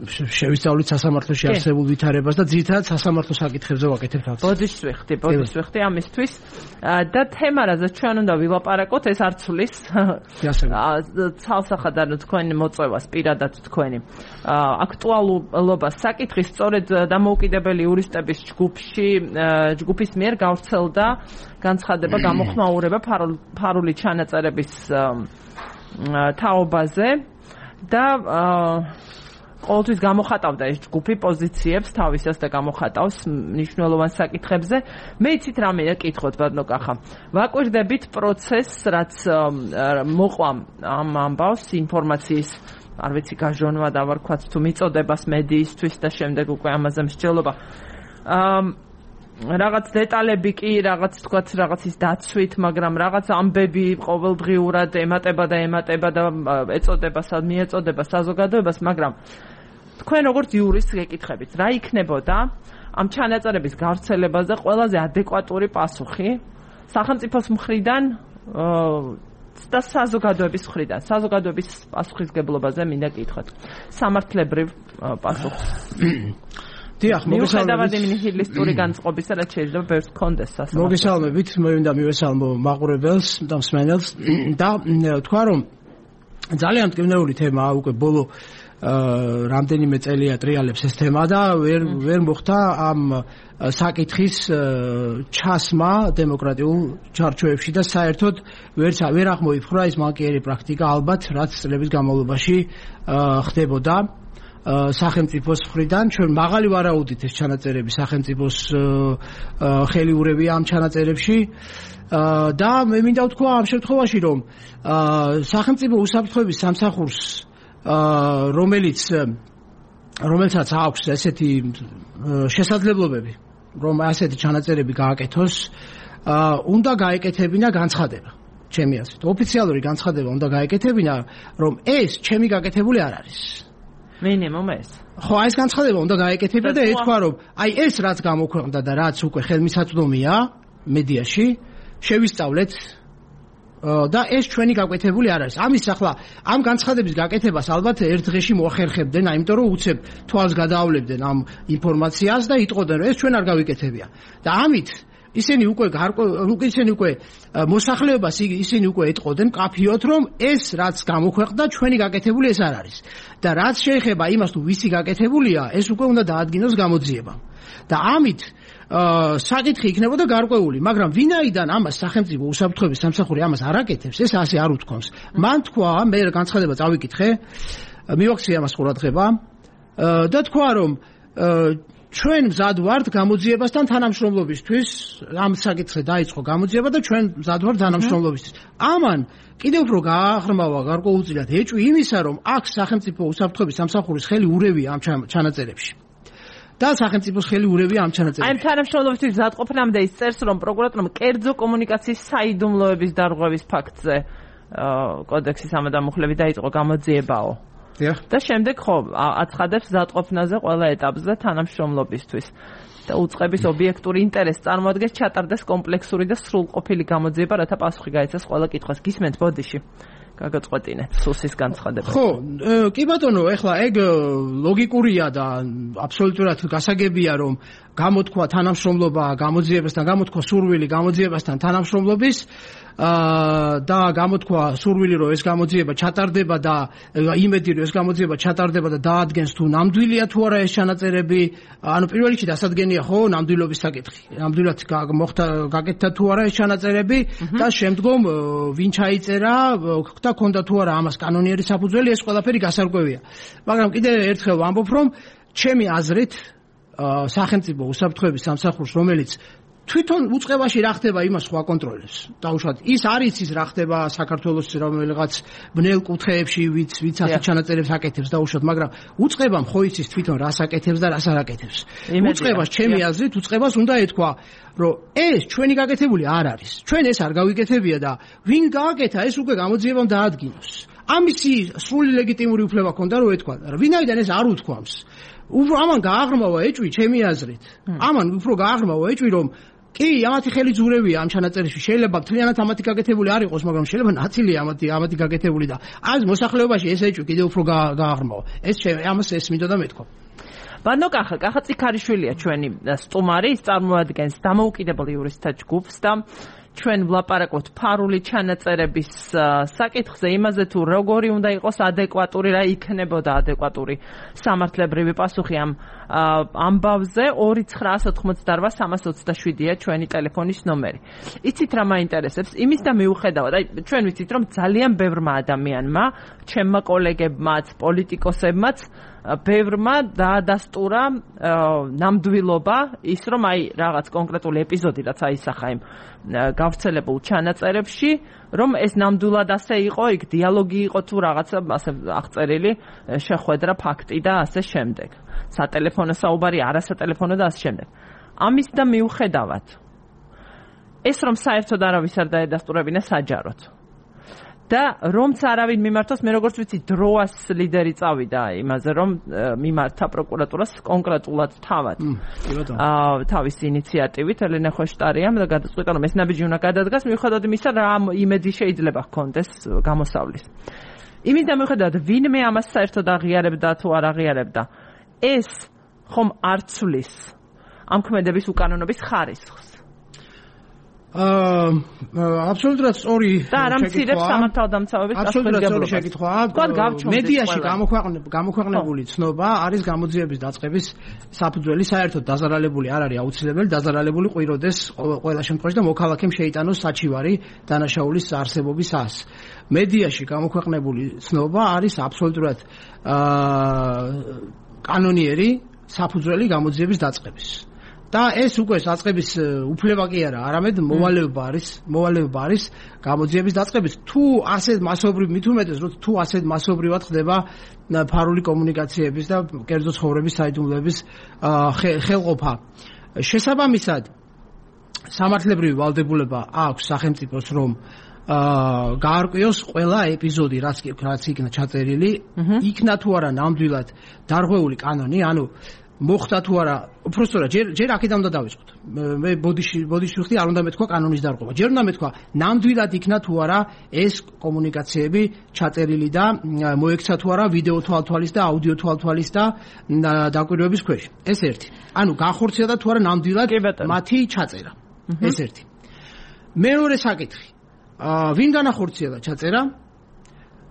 [SPEAKER 6] შევისწავლით სასამართლოში არსებულ ვითარებას და ძირითადად სასამართლო საკითხებზე ვაკეთებთ აქცენტს.
[SPEAKER 1] ბოდიშ ვიხდი ამისთვის და თემა, რაზეც ჩვენ უნდა ვილაპარაკოთ, ეს არცulis ცალსახად ანუ თქვენი მოწვევას პირადად თქვენი აქტუალურობას საკითხი სწორედ დამოუკიდებელი იურისტების ჯგუფის მიერ გავრცელდა განცხადება გამოხმაურება ფარული ჩანაწერების თაობაზე და ყოველთვის გამოხატავდა ეს ჯგუფი პოზიციებს თავისას და გამოხატავს მნიშვნელოვან საკითხებზე. მე იცით რამეა კითხოთ ბატონო-კახა. ვაკვირდებით პროცესს, რაც მოყვა ამ ამბავს ინფორმაციის არ ვიცი გაჟონვა და ვარქვაც თუ მიწოდებას მედიისთვის და შემდეგ უკვე ამაზე მსჯელობა. რაღაც დეტალები კი რაღაც თქვათ რაღაცის დაცვით, მაგრამ რაღაც ამბები ყოველდღიურად ემატება და ეწოდება მიეწოდება საზოგადოებას, მაგრამ თქვენ როგორც იურისტი გეკითხებით, რა იქნებოდა ამ ჩანაწერების გავრცელებაზე ყველაზე ადეკვატური პასუხი სახელმწიფოს მხრიდან და საზოგადოების მხრიდან. საზოგადოების პასუხისგებლობაზე მინდა კითხოთ. სამართლებრივ პასუხს.
[SPEAKER 6] დიახ,
[SPEAKER 1] მოგესალმებით ნიჰილისტური განწყობისა, რაც შეიძლება ბევრს ჰქონდეს სასამართლო.
[SPEAKER 6] მოგესალმებით, მე მინდა მივესალმო მაყურებელს და მსმენელს და თქვა რომ ძალიან მტკივნეული თემაა უკვე ბოლო რამდენიმე წელია ტრიალებს ეს თემა და ვერ მოხდა ამ საკითხის ჩასმა დემოკრატიულ ჩარჩოებში და საერთოდ ვერ აღმოიფხვრა ის მანკიერი პრაქტიკა ალბათ რაც წლების განმავლობაში ხდებოდა სახელმწიფოს მხრიდან. ჩვენ მაღალი ვარაუდით ეს ჩანაწერები სახელმწიფოს ხელიურებია ამ ჩანაწერებში და მე მინდა ვთქვა ამ შემთხვევაში რომ სახელმწიფო უსაფრთხოების სამსახურს რომელსაც აქვს ესეთი შესაძლებლობები რომ ასეთი ჩანაწერები გააკეთოს უნდა გაეკეთებინა განცხადება ჩემი აზრით ოფიციალური განცხადება უნდა გაეკეთებინა რომ ეს ჩემი გაკეთებული არ არის
[SPEAKER 1] მინიმუმ ეს
[SPEAKER 6] ხო ეს განცხადება უნდა გაეკეთებინა და ეთქვა რომ აი ეს რაც გამოქვეყნდა და რაც უკვე ხელმისაწვდომია მედიაში შევისწავლეთ და ეს ჩვენი გაკეთებული არ არის. ამის ახლა ამ განცხადების გაკეთებას ალბათ ერთ დღეში მოახერხებდნენ, იმიტომ რომ უცებ თვალს გადაავლებდნენ ამ ინფორმაციას და იტყოდნენ რომ ეს ჩვენ არ გავიკეთებია. და ამით ისინი უკვე მოსახლეობას ისინი უკვე ეტყოდნენ კაფიოთ რომ ეს რაც გამოქვეყნდა ჩვენი გაკეთებული ეს არ არის. და რაც შეეხება იმას თუ ვისი გაკეთებულია, ეს უკვე უნდა დაადგინოს გამოძიება. და ამით საკითხი იქნებოდა გარკვეული, მაგრამ ვინაიდან ამას სახელმწიფო უსაფრთხოების სამსახური ამას არ აკეთებს, ეს ასე არ უთქვამს. მან თქვა, მე განცხადება წავიკითხე, მივაქცია ამას ყურადღება და თქვა რომ ჩვენ მზად ვართ გამოძიებასთან თანამშრომლობისთვის, ამ საკითხზე დაიწყო გამოძიება და ჩვენ მზად ვართ თანამშრომლობისთვის. ამან კიდევ უფრო გააღრმავა გარკვეულწილად ეჭვი იმისა, რომ აქ სახელმწიფო უსაფრთხოების სამსახურის ხელი ურევია ამ ჩანაწერებში. და სახელმწიფოს ხელი ურევია ამ ჩანაწერებში.
[SPEAKER 1] აი თანამშრომლობისთვის მზადყოფნამდე ის წერს, რომ პროკურატურამ კერძო კომუნიკაციის საიდუმლოების დარღვევის ფაქტზე კოდექსის ამადამუხლები დაიწყო გამოძიებაო. და შემდეგ ხო აცხადებს მზადყოფნაზე ყველა ეტაპზე თანამშრომლობისთვის. და უწყების ობიექტური ინტერესი წარმოადგენს ჩატარდეს კომპლექსური და სრულყოფილი გამოძიება, რათა პასუხი გაეცეს ყველა კითხვას. გისმენთ ბოდიში. გაგაწყვეტინეთ სუსის განცხადება.
[SPEAKER 6] ხო, კი ბატონო, ეხლა ეგ ლოგიკურია და აბსოლუტურად გასაგებია რომ გამოთქვა თანამშრომლობა გამოძიებასთან, გამოთქვა სურვილი გამოძიებასთან თანამშრომლობის და გამოთქვა სურვილი რომ ეს გამოძიება ჩატარდება და იმედი რომ ეს გამოძიება ჩატარდება და დაადგენს თუ ნამდვილია თუ არა ეს ჩანაწერები, ანუ პირველ რიგში დასადგენია ხო ნამდვილობის საკითხი. ნამდვილად მოხდა გაკეთდა თუ არა ეს ჩანაწერები და შემდგომ ვინ ჩაიწერა და ქონდა თუ არა ამას კანონიერი საფუძველი, ეს ყველაფერი გასარკვევია. მაგრამ კიდევ ერთხელ ვამბობ რომ ჩემი აზრით სახელმწიფო უსაფრთხოების სამსახურს რომელიც თვითონ უწყებაში რა ხდება იმას ხო აკონტროლებს. დაუშვათ ის არის ის რა ხდება საქართველოს რომელიღაც ბნელ კუთხეებში ვიც ასეთ ჩანაწერებს აკეთებს დაუშვათ, მაგრამ უწყებამ ხო იცის თვითონ რას აკეთებს და რას არ აკეთებს. უწყებას ჩემი აზრით უწყებას უნდა ეთქვა რომ ეს ჩვენი გაკეთებული არ არის. ჩვენ ეს არ გავიკეთებია და ვინ გააკეთა ეს უკვე გამოძიებამ დაადგინოს. ამისი სრული ლეგიტიმური უფლება ჰქონდა რომ ეთქვა. ვინაიდან ეს არ უთქვამს. ამან გააღრმავა ეჭვი ჩემი აზრით. ამან უფრო გააღრმავა ეჭვი რომ კი, ამათი ხელი ძურევია ამ ჩანაწერში. შეიძლება მთლიანად ამათი გაკეთებული არ იყოს, მაგრამ შეიძლება ნაწილია ამათი გაკეთებული და ამ მოსახლეობაში ეს ეჭვი კიდევ უფრო გააღრმავა. ამას ეს მინდოდა მეთქვა.
[SPEAKER 1] ბანო კახა წიქარიშვილია ჩვენი სტუმარი, ის წარმოადგენს დამოუკიდებელ იურისტთა ჯგუფს და ჩვენ ვლაპარაკობთ ფარული ჩანაწერების საკითხზე, იმაზე თუ როგორი უნდა იყოს ადეკვატური, რა იქნებოდა ადეკვატური სამართლებრივი პასუხი ამ ამბავზე 29188-327-ია ჩვენი ტელეფონის ნომერი. იცით რა მაინტერესებს? იმის და მიუხედავად, აი ჩვენ ვიცით რომ ძალიან ბევრმა ადამიანმა, ჩემმა კოლეგებმაც, პოლიტიკოსებმაც ბევრმა დაადასტურა ნამდვილობა ის რომ აი რაღაც კონკრეტული ეპიზოდი რაც აისახა იმ გავრცელებულ ჩანაწერებში რომ ეს ნამდვილად ასე იყო, იქ დიალოგი იყო თუ რაღაცა ასე აღწერილი შეხვედრა ფაქტი და ასე შემდეგ. სატელეფონო საუბარი, არასატელეფონო და ასე შემდეგ. ამის და მიუხედავად ეს რომ საერთოდ არავის არ დაედასტურებინა საჯაროდ. და რომც არავინ მიმართოს, მე როგორც ვიცი, დროას ლიდერი წავიდა იმაზე, რომ მიმართა პროკურატურას კონკრეტულად თავად. თავის ინიციატივით ელენე ხოშტარიამ და გადაწყვიტა, რომ ეს ნაბიჯი უნდა გადადგას, მიუხედავად იმისა, რა იმედი შეიძლება ჰქონდეს გამოსავლის. იმის და მიუხედავად, ვინმე ამას საერთოდ აღიარებდა თუ არ აღიარებდა, ეს ხომ არ ცვლის ამ ქმედების უკანონობის ხარისხს.
[SPEAKER 6] აბსოლუტურად სწორი
[SPEAKER 1] და არ ამცირებს სამართალდამცავების
[SPEAKER 6] აბსოლუტურად შეკითხვაა. მედიაში გამოქვეყნებული ცნობა არის გამოძიების დაწყების საფუძველი, საერთოდ დაზარალებული არ არის აუცილებელი, დაზარალებული ყვიროდეს ყველა შემთხვევაში და მოქალაქემ შეიტანოს საჩივარი დანაშაულის არსებობის ას. მედიაში გამოქვეყნებული ცნობა არის აბსოლუტურად კანონიერი საფუძველი გამოძიების დაწყების. და ეს უკვე დაწყების უფლება კი არა, არამედ მოვალეობა არის გამოძიების დაწყების. თუ ასეთ მასობრივ მithumetes, რომ თუ ასეთ მასობრივად ხდება ფარული კომუნიკაციების და კერძო ცხოვრების საიდუმლოების ხელყოფა. შესაბამისად, სამართლებრივი ვალდებულება აქვს სახელმწიფოს, რომ გაარკვიოს ყველა ეპიზოდი, რაც იქნა ჩაწერილი, იქნა თუ არა ნამდვილად დარღვეული კანონი, ანუ მოხდა თუ არა, უბრალოდ ჯერ აქედან უნდა დავიწყოთ. მე ბოდიში ვიხდი, არ უნდა მეთქვა კანონის დარღვევა. ჯერ უნდა მეთქვა, ნამდვილად იქნა თუ არა ეს კომუნიკაციები ჩაწერილი და მოექცა თუ არა ვიდეო თვალთვალის და აუდიო თვალთვალის და დაკვირვების ქვეშ. ეს ერთი. ანუ განხორციელდა თუ არა ნამდვილად მათი ჩაწერა. ეს ერთი. მეორე საკითხი. ვინ განახორციელა ჩაწერა?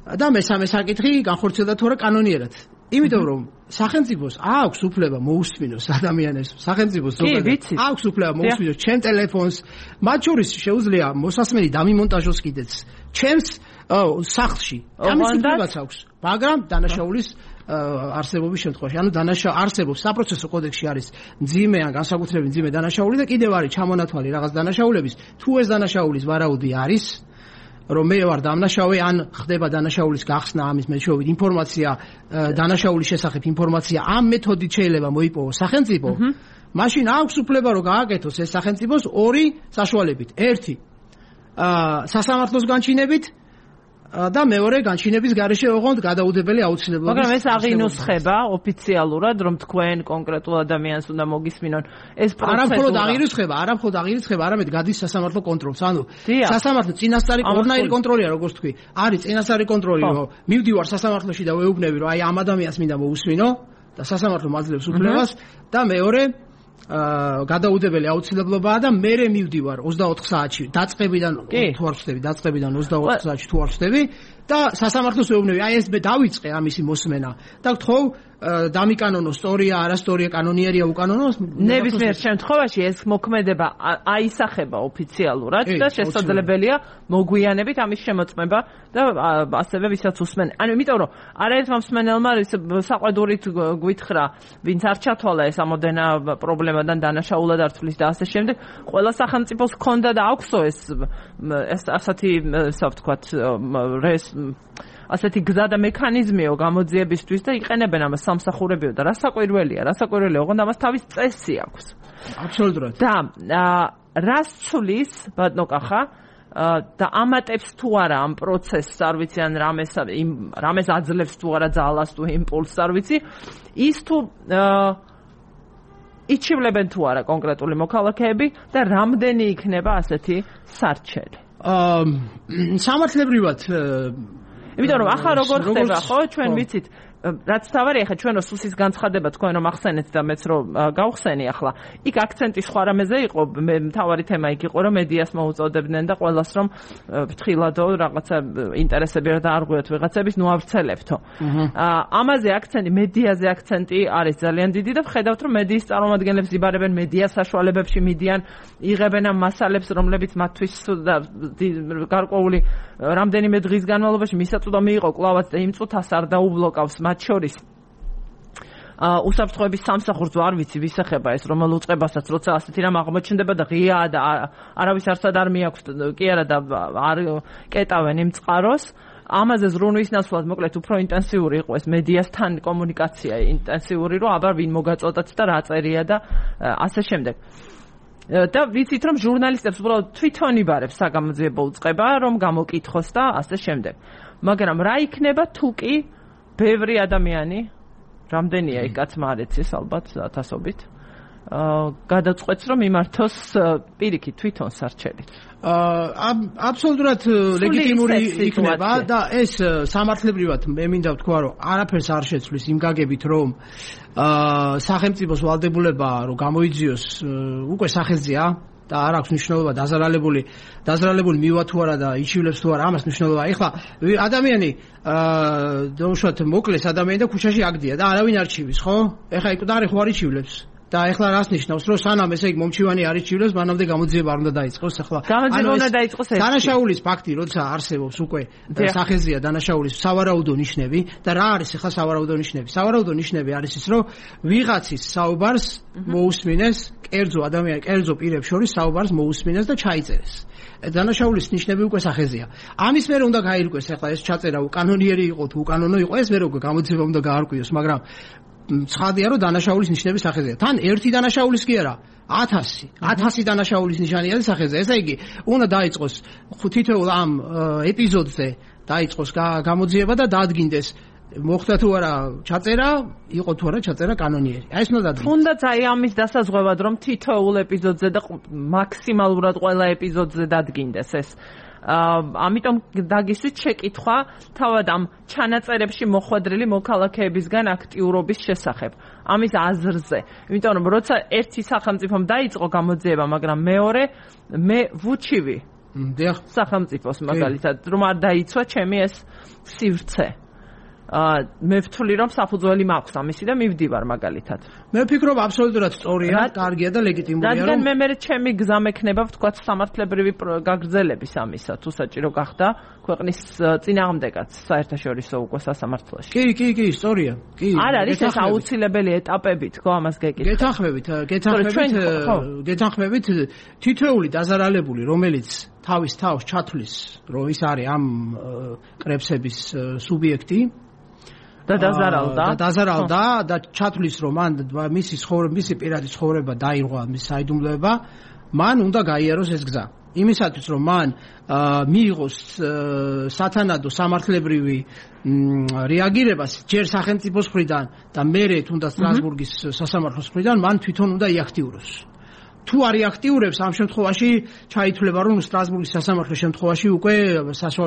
[SPEAKER 6] და მესამე საკითხი, განხორციელდა თუ არა კანონიერად. იმიტომ რომ სახელმწიფოს აქვს უფლება მოусმინოს ადამიანებს, სახელმწიფოს აქვს უფლება მოусმინოს ჩემ ტელეფონს, მათ შორის შეუძლია მოსასმენი დამიმონტაჟოს კიდეც ჩემს სახლში. ამის უფლებაც აქვს, მაგრამ დანაშაულის არსებობის შემთხვევაში, ანუ არსებობს საპროცესო კოდექსში არის მძიმე ან განსაკუთრებით მძიმე დანაშაული და კიდევ არის ჩამონათვალი რაღაც დანაშაულების, თუ ეს დანაშაულის ვარაუდი არის რომ მე ვარ დამნაშავე ან ხდება დანაშაულის გახსნა ამის მეშვეობით ინფორმაცია დანაშაულის შესახებ ინფორმაცია ამ მეთოდით შეიძლება მოიპოვოს სახელმწიფო, მაშინ აქვს უფლება რომ გააკეთოს ეს სახელმწიფოს ორი საშუალებით. ერთი სასამართლოს განჩინებით და მეორე განჩინების გარეშე ოღონდ გადაუდებელი აუცილებლობის.
[SPEAKER 1] მაგრამ ეს აღინუსხება ოფიციალურად, რომ თქვენ კონკრეტულ ადამიანს უნდა მოგისმინონ. ეს
[SPEAKER 6] პროცედურა არა მხოლოდ აღირიცხება, არამედ გადის სასამართლო კონტროლს. ანუ სასამართლო წინასწარი ორნაირი კონტროლია, როგორც თქვი. არის წინასწარი კონტროლი, რომ მივდივარ სასამართლოში და ვეუბნები, რომ აი ამ ადამიანს მინდა მოусმინო და სასამართლო მაძლევს უფლებას და მეორე გადაუდებელი აუცილებლობაა და მე მივდივარ 24 საათში დაწყებიდან თუ არ ვხდები, დაწყებიდან 24 საათში თუ არ ვხდები და სასამართლოს ვეუბნები, აი ეს მე დავიწყე ამისი მოსმენა და გთხოვ დამიკანონო სტორია, არასტორია, კანონიერია, უკანონო.
[SPEAKER 1] ნებისმიერ შემთხვევაში ეს მოქმედება აისახება ოფიციალურად და შესაძლებელია მოგვიანებით ამის შემოწმება და ასევე ვისაც უსმენ. ანუ იმიტომ რომ არაერთმა მსმენელმა საყვედურით გვითხრა, ვინც არ ჩათვალა ეს ამოდენა პრობლემადან დანაშაულად არ თვლის და ასე შემდეგ, ყველა სახელმწიფოს ჰქონდა და აქვსო ეს ასეთი ვთქვათ ასეთი გზა და მექანიზმიო გამოძიებისთვის და იყენებენ ამას სამსახურებიო და რასაკვირველია, ოღონდ ამას თავის წესი აქვს.
[SPEAKER 6] აბსოლუტურად.
[SPEAKER 1] და რას ცვლის ბატონო კახა და ამატებს თუ არა ამ პროცესს, არ ვიცი ან რამეს აძლევს თუ არა ძალას თუ იმპულსს, არ ვიცი, ის თუ იჩივლებენ თუ არა კონკრეტული მოქალაქეები და რამდენი იქნება ასეთი სარჩელი.
[SPEAKER 6] სამართლებრივად
[SPEAKER 1] იმიტომ რომ ახლა როგორ ხდება, ხო, ჩვენ ვიცით, რაც თავარია ხა ჩვენო სუსის განცხადება თქვენ რომ ახსენეთ და მეც რომ გავხსენი ახლა იქ აქცენტი სხვა რამეზე იყო მთავარი თემა იქ იყო რომ მედიას მოუწოდებდნენ და ყველას რომ ფრთხილადო რაღაცა ინტერესები რა დაარღვიოთ ვიღაცების ნუ ავრცელებთო ამაზე აქცენტი მედიაზე აქცენტი არის ძალიან დიდი და ვხედავთ რომ მედიის წარმომადგენლებს იბარებენ მედია საშუალებებში მიდიან იღებენ ამ მასალებს რომლებიც მათთვის გარკვეული რამდენიმე დღის განმავლობაში მისაწვდომი იყო კლავაც და იმ წუთას არ დაუბლოკავს მათ შორის უსაფრთხოების სამსახურს არ ვიცი ვის ეხება ეს რომელ უწყებასაც როცა ასეთი რამ აღმოჩნდება და ღიაა და არავის არცად არ მიაქვს კი არა და არ კეტავენ იმ წყაროს ამაზე ზრუნვის ნაცვლად მოკლედ უფრო ინტენსიური იყო ეს მედიასთან კომუნიკაცია ინტენსიური რომ აბა ვინ მოგაწოდათ და რა წერია და ასე შემდეგ და ვიცით რომ ჟურნალისტებს უბრალოდ თვითონ იბარებს საგამოძიებო უწყება რომ გამოკითხოს და ასე შემდეგ მაგრამ რა იქნება თუ კი ბევრი ადამიანი რამდენია იქ კაცმა არ ეცეს ალბათ ათასობით გადაწყვეტს რომ იმართოს პირიქით თვითონ სარჩელით
[SPEAKER 6] აბსოლუტურად ლეგიტიმური იქნება და ეს სამართლებრივად მე მინდა ვთქვა რომ არაფერს არ შეცვლის იმ გაგებით რომ სახელმწიფოს ვალდებულება რომ გამოიძიოს უკვე სახეზეა და არ აქვს მნიშვნელობა დაზარალებული მივა თუ არა და იჩივლებს თუ არა ამას მნიშვნელობა ეხლა ადამიანი დაუშვათ მოკლეს ადამიანი და ქუჩაში აგდია და არავინ არ ჩივის ხო ეხლა იქ და ხო არ იჩივლებს და ეხლა რას ნიშნავს რომ სანამ ესე იგი მომჩივანი არ იჩივლებს მანამდე გამოძიება არ უნდა დაიწყოს ეხლა
[SPEAKER 1] გამოძიება უნდა დაიწყოს ეს
[SPEAKER 6] დანაშაულის ფაქტი როცა არსებობს უკვე სახეზეა დანაშაულის სავარაუდო ნიშნები და რა არის ეხლა სავარაუდო ნიშნები სავარაუდო ნიშნები არის ის რომ ვიღაცის საუბარს მოусმინეს კერძო პირებს შორის საუბარს მოусმინეს და ჩაიწერეს დანაშაულის ნიშნები უკვე სახეზეა ამის მერე უნდა გაირკვეს ეხლა ეს ჩაწერა უკანონიერი იყო თუ უკანონო იყო ეს მერე უკვე გამოძიება უნდა გაარკვიოს მაგრამ ცხადია რომ დანაშაულის ნიშნები სახეზეა თან ერთი დანაშაულის კი არა 1000 დანაშაულის ნიშანია სახეზე ესე იგი უნდა დაიწყოს თითოეულ ამ ეპიზოდზე დაიწყოს გამოძიება და დადგინდეს მოხდა თუ არა ჩაწერა იყო თუ არა ჩაწერა კანონიერი აი ეს უნდა დადგინდეს
[SPEAKER 1] თუნდაც აი ამის დასაზღვევად რომ თითოეულ ეპიზოდზე და მაქსიმალურად ყველა ეპიზოდზე დადგინდეს ეს ამიტომ დაგისვით შეკითხვა თავად ამ ჩანაწერებში მოხვედრილი მოქალაქეებისგან აქტიურობის შესახებ ამის აზრზე იმიტომ რომ როცა ერთი სახელმწიფომ დაიწყო გამოძიება მაგრამ მეორე მე ვუჩივი სახელმწიფოს მაგალითად რომ არ დაიცვა ჩემი ეს სივრცე მე ვთვლი რომ საფუძველი მაქვს ამისი და მივდივარ მაგალითად
[SPEAKER 6] მე ვფიქრობ აბსოლუტურად სწორია კარგია და ლეგიტიმურია რომ
[SPEAKER 1] რადგან მე ჩემი გზა მექნება ვთქვათ სამართლებრივი გაგრძელების ამისა თუ საჭირო გახდა ქვეყნის წინააღმდეგაც საერთაშორისო უკვე სასამართლოში
[SPEAKER 6] კი სწორია კი
[SPEAKER 1] არ არის ეს აუცილებელი ეტაპები თქო ამას
[SPEAKER 6] გეთანხმებით თითოეული დაზარალებული რომელიც თავის თავს ჩათვლის რომ ის არის ამ კრებსების სუბიექტი
[SPEAKER 1] და
[SPEAKER 6] დაზარალდა და ჩათვლის რომ მან მისი პირადი ცხოვრება დაირღვა მის საიდუმლოება მან უნდა გაიაროს ეს გზა იმისათვის რომ მან მიიღოს სათანადო სამართლებრივი რეაგირება ჯერ სახელმწიფოს მხრიდან და მერე თუნდაც სტრასბურგის სასამართლოს მხრიდან მან თვითონ უნდა იაქტიუროს თუ არ იაქტიურებს ამ შემთხვევაში ჩაითვლება რომ სტრასბურგის სასამართლოს შემთხვევაში უკვე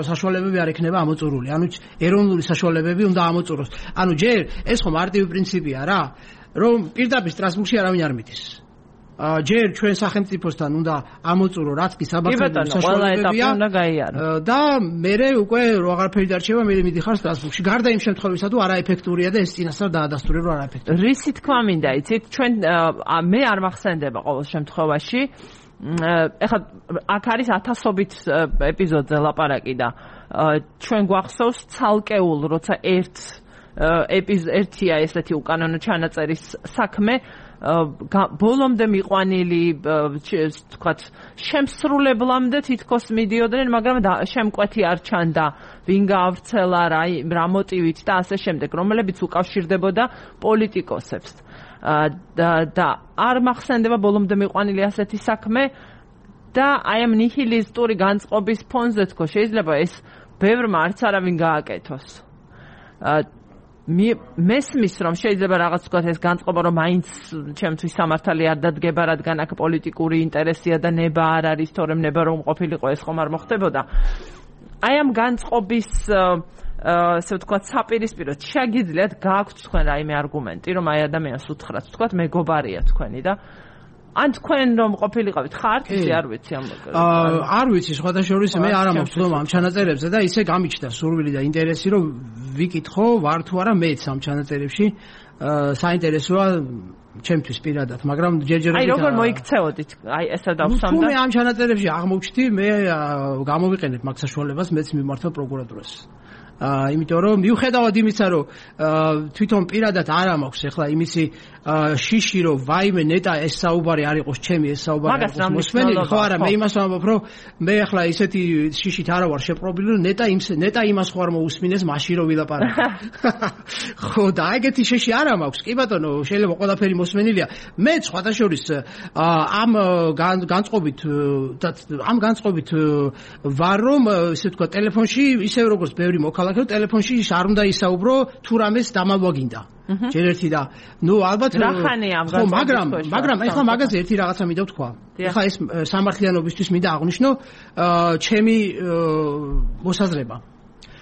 [SPEAKER 6] საშუალებები არ ექნება ამოწურული ანუ ეროვნული საშუალებები უნდა ამოწუროს ანუ ჯერ ეს ხო მარტივი პრინციპია რა რომ პირდაპირ სტრასბურგში არავინ არ მიდის ჯერ ჩვენ სახელმწიფოსთან უნდა ამოწურო რაც კი საბრძოლო საშუალებებია და მერე უკვე აღარაფერი დარჩება მე მიდიხარ სტრასბურგში გარდა იმ შემთხვევისა თუ არაეფექტურია და ეს წინასწარ დაადასტურებ რომ არაეფექტურია
[SPEAKER 1] რისი თქვა მინდა იცით ჩვენ მე არ მახსენდება ყოველ შემთხვევაში ეხლა აქ არის ათასობით ეპიზოდზე ლაპარაკი და ჩვენ გვახსოვს ცალკეულ როცა ერთია ესეთი უკანონო ჩანაწერის საქმე ბოლომდე მიყვანილი თქვათ შემსრულებლამდე თითქოს მიდიოდნენ მაგრამ შემკვეთი არ ჩანდა ვინ გაავრცელა რა მოტივით და ასე შემდეგ რომლებიც უკავშირდებოდა პოლიტიკოსებს და არ მახსენდება ბოლომდე მიყვანილი ასეთი საქმე და აი ამ ნიჰილისტური განწყობის ფონზე თქო შეიძლება ეს ბევრმა არც არავინ გააკეთოს მესმის რომ შეიძლება რაღაც თქვა ეს განწყობა რომ მაინც ჩემთვის სამართალი არ დადგება რადგან აქ პოლიტიკური ინტერესია და ნება არ არის თორემ ნება რომ ყოფილიყო ეს ხომ არ მოხდებოდა აი ამ განწყობის ასე ვთქვათ, საპირისპიროდ შეგიძლიათ გააქვთ თქვენ რაიმე არგუმენტი, რომ აი ადამიანს უთხრათ, ვთქვათ, მეგობარია თქვენი და ან თქვენ რომ ყოფილიყავით ხართ, ისე არ ვიცი ამ
[SPEAKER 6] არ ვიცი, სხვადასხვა მე არ მაქვს თქმა ამ ჩანაწერებზე და ისე გამიჩნდა სურვილი და ინტერესი, რომ ვიკითხო, ვარ თუ არა მეც ამ ჩანაწერებში. საინტერესოა ჩემთვის პირადად, მაგრამ ჯერჯერობით
[SPEAKER 1] აი როგორ მოიქცეოდით? აი ესა დავსვამ და
[SPEAKER 6] მე ამ ჩანაწერებში აღმოვჩდი, მე გამოვიყენებ მაგ საშუალებას, მეც მიმართავ პროკურატურას. იმიტომ რომ მიუხედავად იმისა, რომ თვითონ პირადად არ მაქვს ახლა იმისი შიში, რომ ვაიმე ნეტა ეს საუბარი არ იყოს ჩემი, ეს საუბარი არ იყოს მოსმენილი, ხო არა, მე იმას ვამბობ, რომ მე ახლა ისეთი შიშით არა ვარ შეპყრობილი, რომ ნეტა იმას ხო არ მოусმინეს მაშინ რომ ვილაპარაკო. ხო და ეგეთი შიში არ მაქვს. კი ბატონო, შეიძლება ყველაფერი მოსმენილია. მე სხვადასხვა ამ განწყობით ვარ, რომ ესე ვთქვა, ტელეფონში ისევ როგორც ბევრი მოქალაქე ტელეფონში არ უნდა ისაუბრო თუ რამეს დამალვაგინდა. ჯერ ერთი და ნუ ალბათ ხო მაგრამ ეხლა მაგაზე ერთი რაღაცა მინდა ვთქვა. ეხლა ეს სამართლიანობისთვის მინდა აღვნიშნო ჩემი მოსაზრება.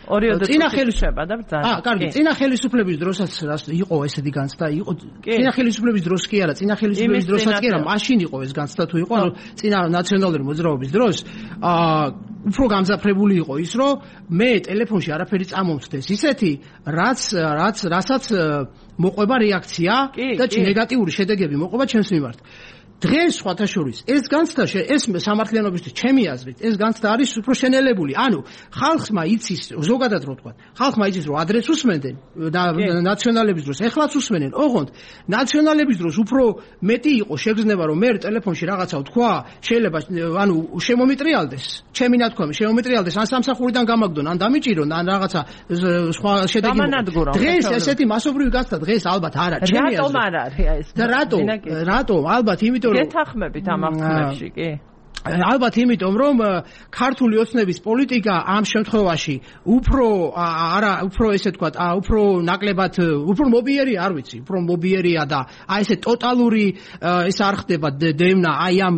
[SPEAKER 1] ორიოდე წინა ხელისუფლება და ბრძანა.
[SPEAKER 6] კარგი, წინა ხელისუფლების დროსაც იყო ესეთი განცდა, იყო წინა ხელისუფლების დროს კი არა, წინა ხელისუფლების დროსაც კი არა, მაშინ იყო ეს განცდა თუ იყო, ანუ წინა ნაციონალური მოძრაობის დროს უფრო გამძაფრებული იყო ის, რომ მე ტელეფონში არაფერი წამომწდეს, ისეთი რასაც მოყვება რეაქცია და ნეგატიური შედეგები მოყვება ჩემს მიმართ. დღეს სხვათაშორის ეს განცდა ეს სამართლიანობისთვის ჩემი აზრით ეს განცდა არის უფრო შენელებული. ანუ ხალხმა იცის ზოგადად რო ვთქვა, ხალხმა იცის რომ ადრეს უსმენდნენ და ნაციონალების დროს ეხლაც უსმენენ. ოღონდ ნაციონალების დროს უფრო მეტი იყო შეგრძნება რომ მე ტელეფონში რაღაცა ვთქვა, შეიძლება ანუ შემომიტრიალდეს, ჩემი ნათქვამი შემომიტრიალდეს, ან სამსახურიდან გამაგდონ, ან დამიჭირონ, ან რაღაცა სხვა შედეგი. დღეს ესეთი მასობრივი განცდა დღეს ალბათ არა, ჩემი აზრით.
[SPEAKER 1] რატომ არ არის ეს?
[SPEAKER 6] და რატომ? ალბათ იმიტომ
[SPEAKER 1] გეთახმებით ამ აღქმებში კი?
[SPEAKER 6] ალბათ იმიტომ რომ ქართული ოცნების პოლიტიკა ამ შემთხვევაში უფრო ესე ვთქვათ, უფრო ნაკლებად უფრო მობიერი არ ვიცი, უფრო მობიერია და აი ესე ტოტალური ეს არ ხდება დევნა აი ამ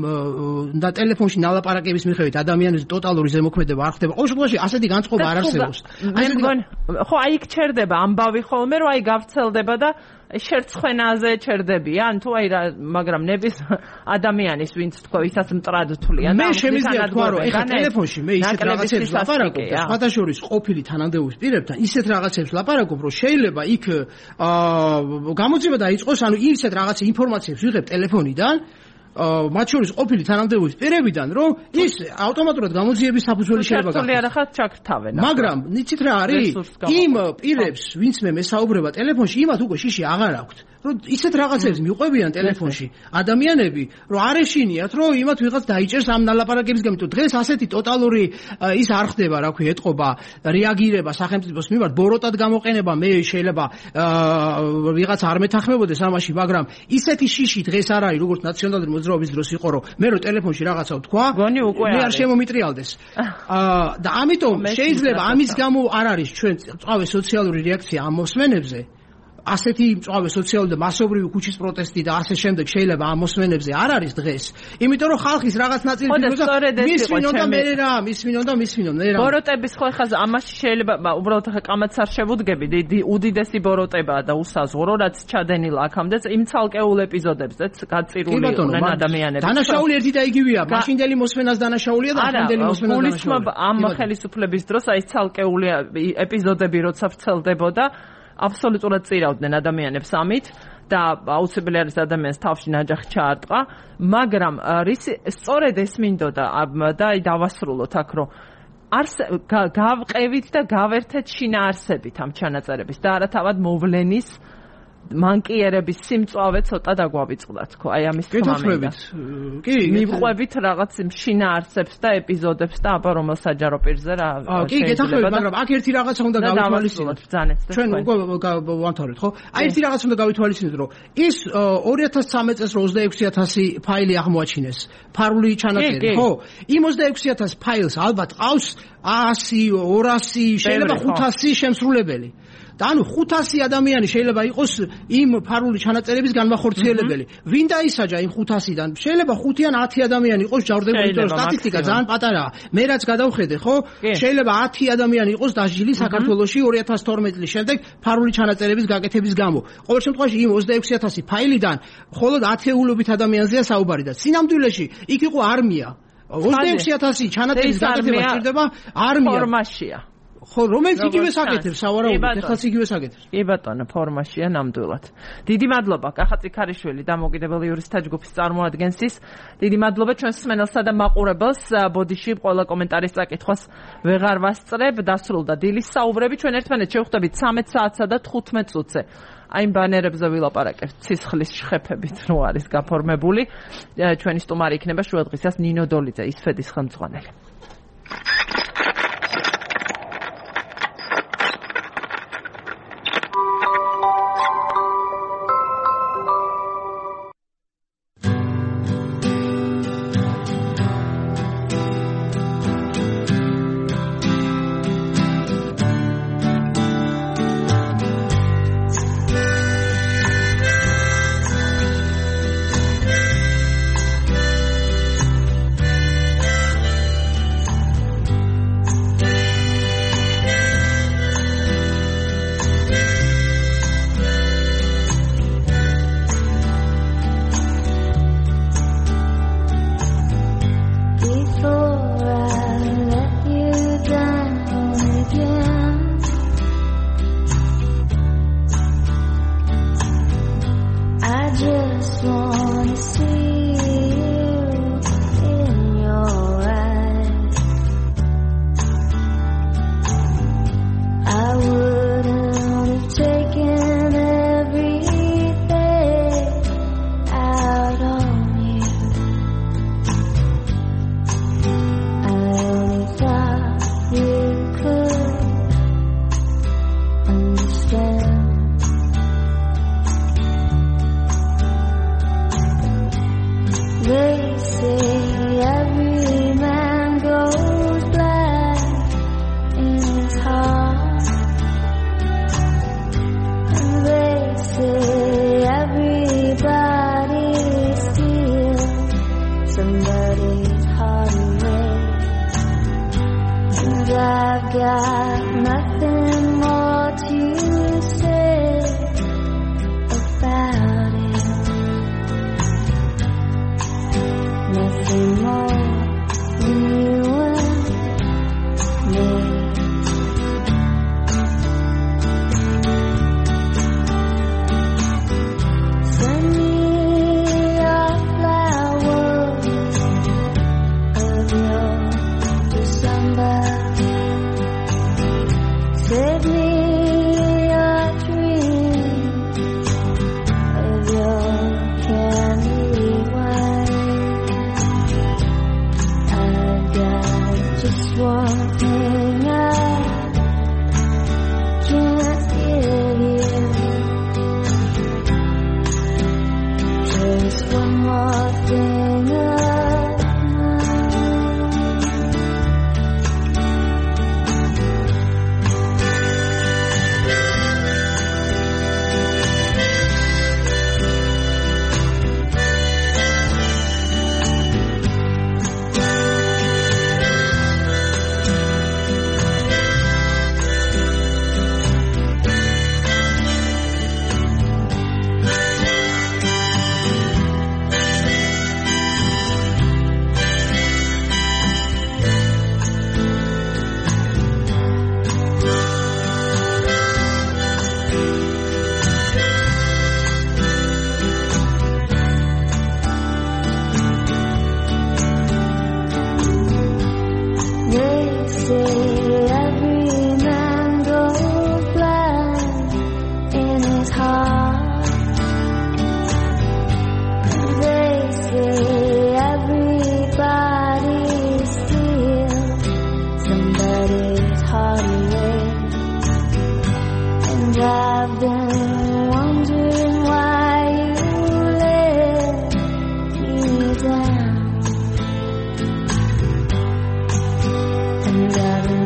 [SPEAKER 6] და ტელეფონში ნალაპარაკების მიხედვით ადამიანის ტოტალური ზემოქმედება არ ხდება. ყოველ შემთხვევაში ასეთი განწყობა არ არსებობს.
[SPEAKER 1] ხო აი იქ ჩერდება ამბავი ხოლმე რომ აი გავრცელდება და შერცხვენაზე ჩერდებიან თუ აი რა, მაგრამ ნების ადამიანის ვინც თქვა ვისაც მტრად თვლიან
[SPEAKER 6] და მე შემიძლია თქვა რომ ეხლა ტელეფონში მე ისეთ რაღაცებს ლაპარაკობ და სხვადასხვა ყოფილი თანამდებობის პირებთან ისეთ რაღაცებს ლაპარაკობ რომ შეიძლება იქ გამოძიება დაიწყოს, ანუ ისეთ რაღაც ინფორმაციებს ვიღებ ტელეფონიდან მათ შორის ყოფილი თანამდებობის პირებიდან, რომ ის ავტომატურად გამოძიების საფუძველი შეიძლება
[SPEAKER 1] გახდეს. ქართული არახად ჩაქრთავენ.
[SPEAKER 6] მაგრამ იცით რა არის? იმ პირებს, ვინც მე მესაუბრება ტელეფონში, იმათ უკვე შიში აღარ აქვთ. რომ ისეთ რაღაცებს მიყვებიან ტელეფონში ადამიანები, რომ არ ეშინიათ, რომ იმათ ვიღაც დაიჭერს ამ ნალაპარაკების გამო. დღეს ასეთი ტოტალური ის არ ხდება, რა ქვია, ეტყობა, რეაგირება სახელმწიფოს მიმართ, ბოროტად გამოყენება, მე შეიძლება ვიღაც არ მეთანხმებოდეს ამაში, მაგრამ ისეთი შიში დღეს არ არის, როგორც ნაციონალური მოძრაობის დროს იყო, რომ მე რო ტელეფონში რაღაცა ვთქვა, მე არ შემომიტრიალდეს. და ამიტომ შეიძლება ამის გამო არ არის ჩვენ წავე სოციალური რეაქცია ამ მოსმენებზე. ასეთი მწვავე სოციალური და მასობრივი ქუჩის პროტესტი და ასე შემდეგ შეიძლება ამ მოსმენებზე არ არის დღეს. იმიტომ რომ ხალხის რაღაც ნაწილი მისვინონ და მე რა, მისვინონ.
[SPEAKER 1] ბოროტების ხო ხაზ ამაში შეიძლება უბრალოდ ხა კამაც არ შევუდგები, უდიდესი ბოროტებაა და უსაზღვრო, რაც ჩადენილა აქამდეც იმ ცალკეულ ეპიზოდებზეც გაწირული იყვნენ ადამიანები.
[SPEAKER 6] დანაშაული ერთი და იგივეა, მაშინდელი მოსმენას დანაშაულია და ახალდელი მოსმენას დანაშაულია.
[SPEAKER 1] ამ ხელისუფლების დროს აი ცალკეული ეპიზოდები როცა ვრცელდებოდა აბსოლუტურად წირავდნენ ადამიანებს ამით და აუცილებელი არის ადამიანს თავში ნაჯახი ჩაარტყა, მაგრამ სწორედ ეს მინდოდა და დავასრულოთ აქ, რომ გავყევით და გავერთეთ შინაარსებით ამ ჩანაწერების და არა თავად მოვლენის მანკიერების სიმწვავე ცოტა დაგვავიწყდათ, ხო? აი ამის თქმა მინდა.
[SPEAKER 6] კი,
[SPEAKER 1] მივყვებით რაღაც შინაარსებს და ეპიზოდებს და აბა რომელ საჯარო პირზე რა.
[SPEAKER 6] კი, გეთახმებით, მაგრამ აქ ერთი რაღაცა უნდა გავითვალისწინოთ. ჩვენ უკვე ვამთავრეთ, ხო? აი ერთი რაღაცა უნდა გავითვალისწინოთ, რომ ის 2013 წელს 26000 ფაილი აღმოაჩინეს. ფარული ჩანაწერი, ხო? იმ 26000 ფაილს ალბათ ყავს 100, 200, შეიძლება 500 შემსრულებელი. და ანუ 500 ადამიანი შეიძლება იყოს იმ ფარული ჩანაწერების განმახორციელებელი. ვინ დაისაჯა იმ 500-დან? შეიძლება 5 ან 10 ადამიანი იყოს ჯავრდებული, იმიტომ რომ სტატისტიკა ძალიან პატარაა. მე რაც გადავხედე, ხო? შეიძლება 10 ადამიანი იყოს დასჯილი საქართველოში 2012 წლის შემდეგ ფარული ჩანაწერების გაკეთების გამო. ყოველ შემთხვევაში იმ 26,000 ფაილიდან მხოლოდ 10-ულობით ადამიანზეა საუბარი და სინამდვილეში იქ იყო არმია. 26,000 ჩანაწერის გაკეთება სჭირდება არმია.
[SPEAKER 1] ფორმაშია.
[SPEAKER 6] ხო, რომელიც იგივე საკეთებს, სავარაუდოდ, ეხლაც იგივე საკეთებს.
[SPEAKER 1] კი ბატონო, ფორმაშია ნამდვილად. დიდი მადლობა კახა წიქარიშვილი, დამოუკიდებელი იურისტთა ჯგუფის წარმოადგენსის. დიდი მადლობა ჩვენს მსმენელსა და მაყურებელს. ბოდიში ყველა კომენტარის წაკითხვას ვეღარ ვასწრებ. დასრულდა დილის საუბრები. ჩვენ ერთმანეთს შევხვდებით 13 საათსა და 15 წუთზე. აი იმ ბანერებზე ვილაპარაკებთ ცისხლის შეხედებით, რო არის გაფორმებული. ჩვენი სტუმარი იქნება შუადღისას ნინო დოლიძე, ისფედის ხელმძღვანელი.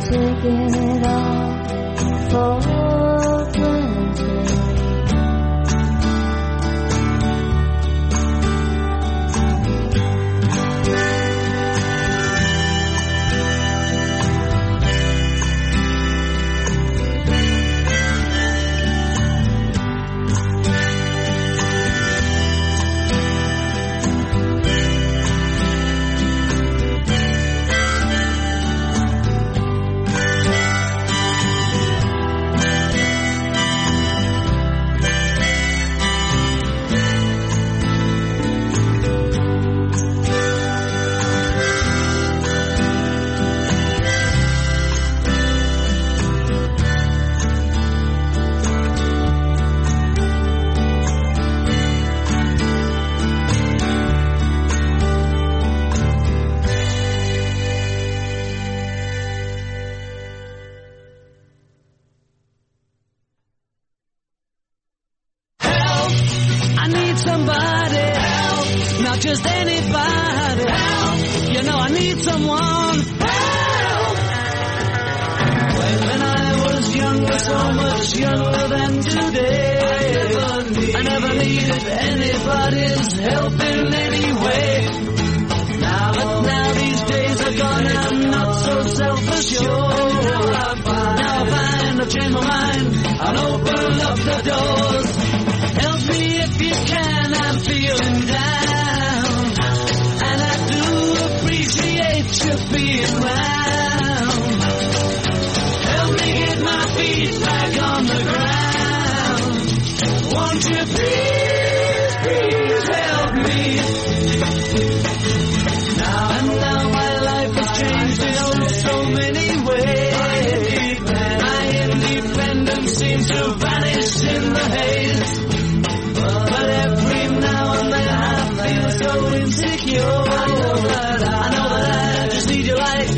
[SPEAKER 7] Taking it all for I need someone help. When I was younger, so much younger than today, I never needed anybody's help in any way. Now these days are gone, I'm not so self-assured. Now I find I've changed my mind, I'll open up the doors. Help me if you can, I'm feeling down, and I do appreciate you being round. Help me get my feet back on the ground. Won't you please, please help me? Now my life has changed in so many ways. My independence seems to vanish in the haze. But every now and then I feel so insecure. I know that I just need you like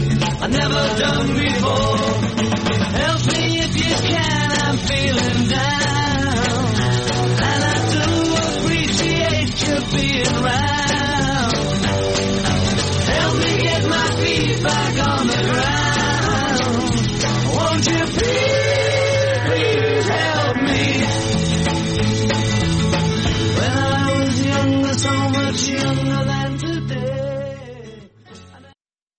[SPEAKER 7] I've never done before. Help me if you can, I'm feeling down, and I do appreciate you being round. Help me get my feet back on the ground.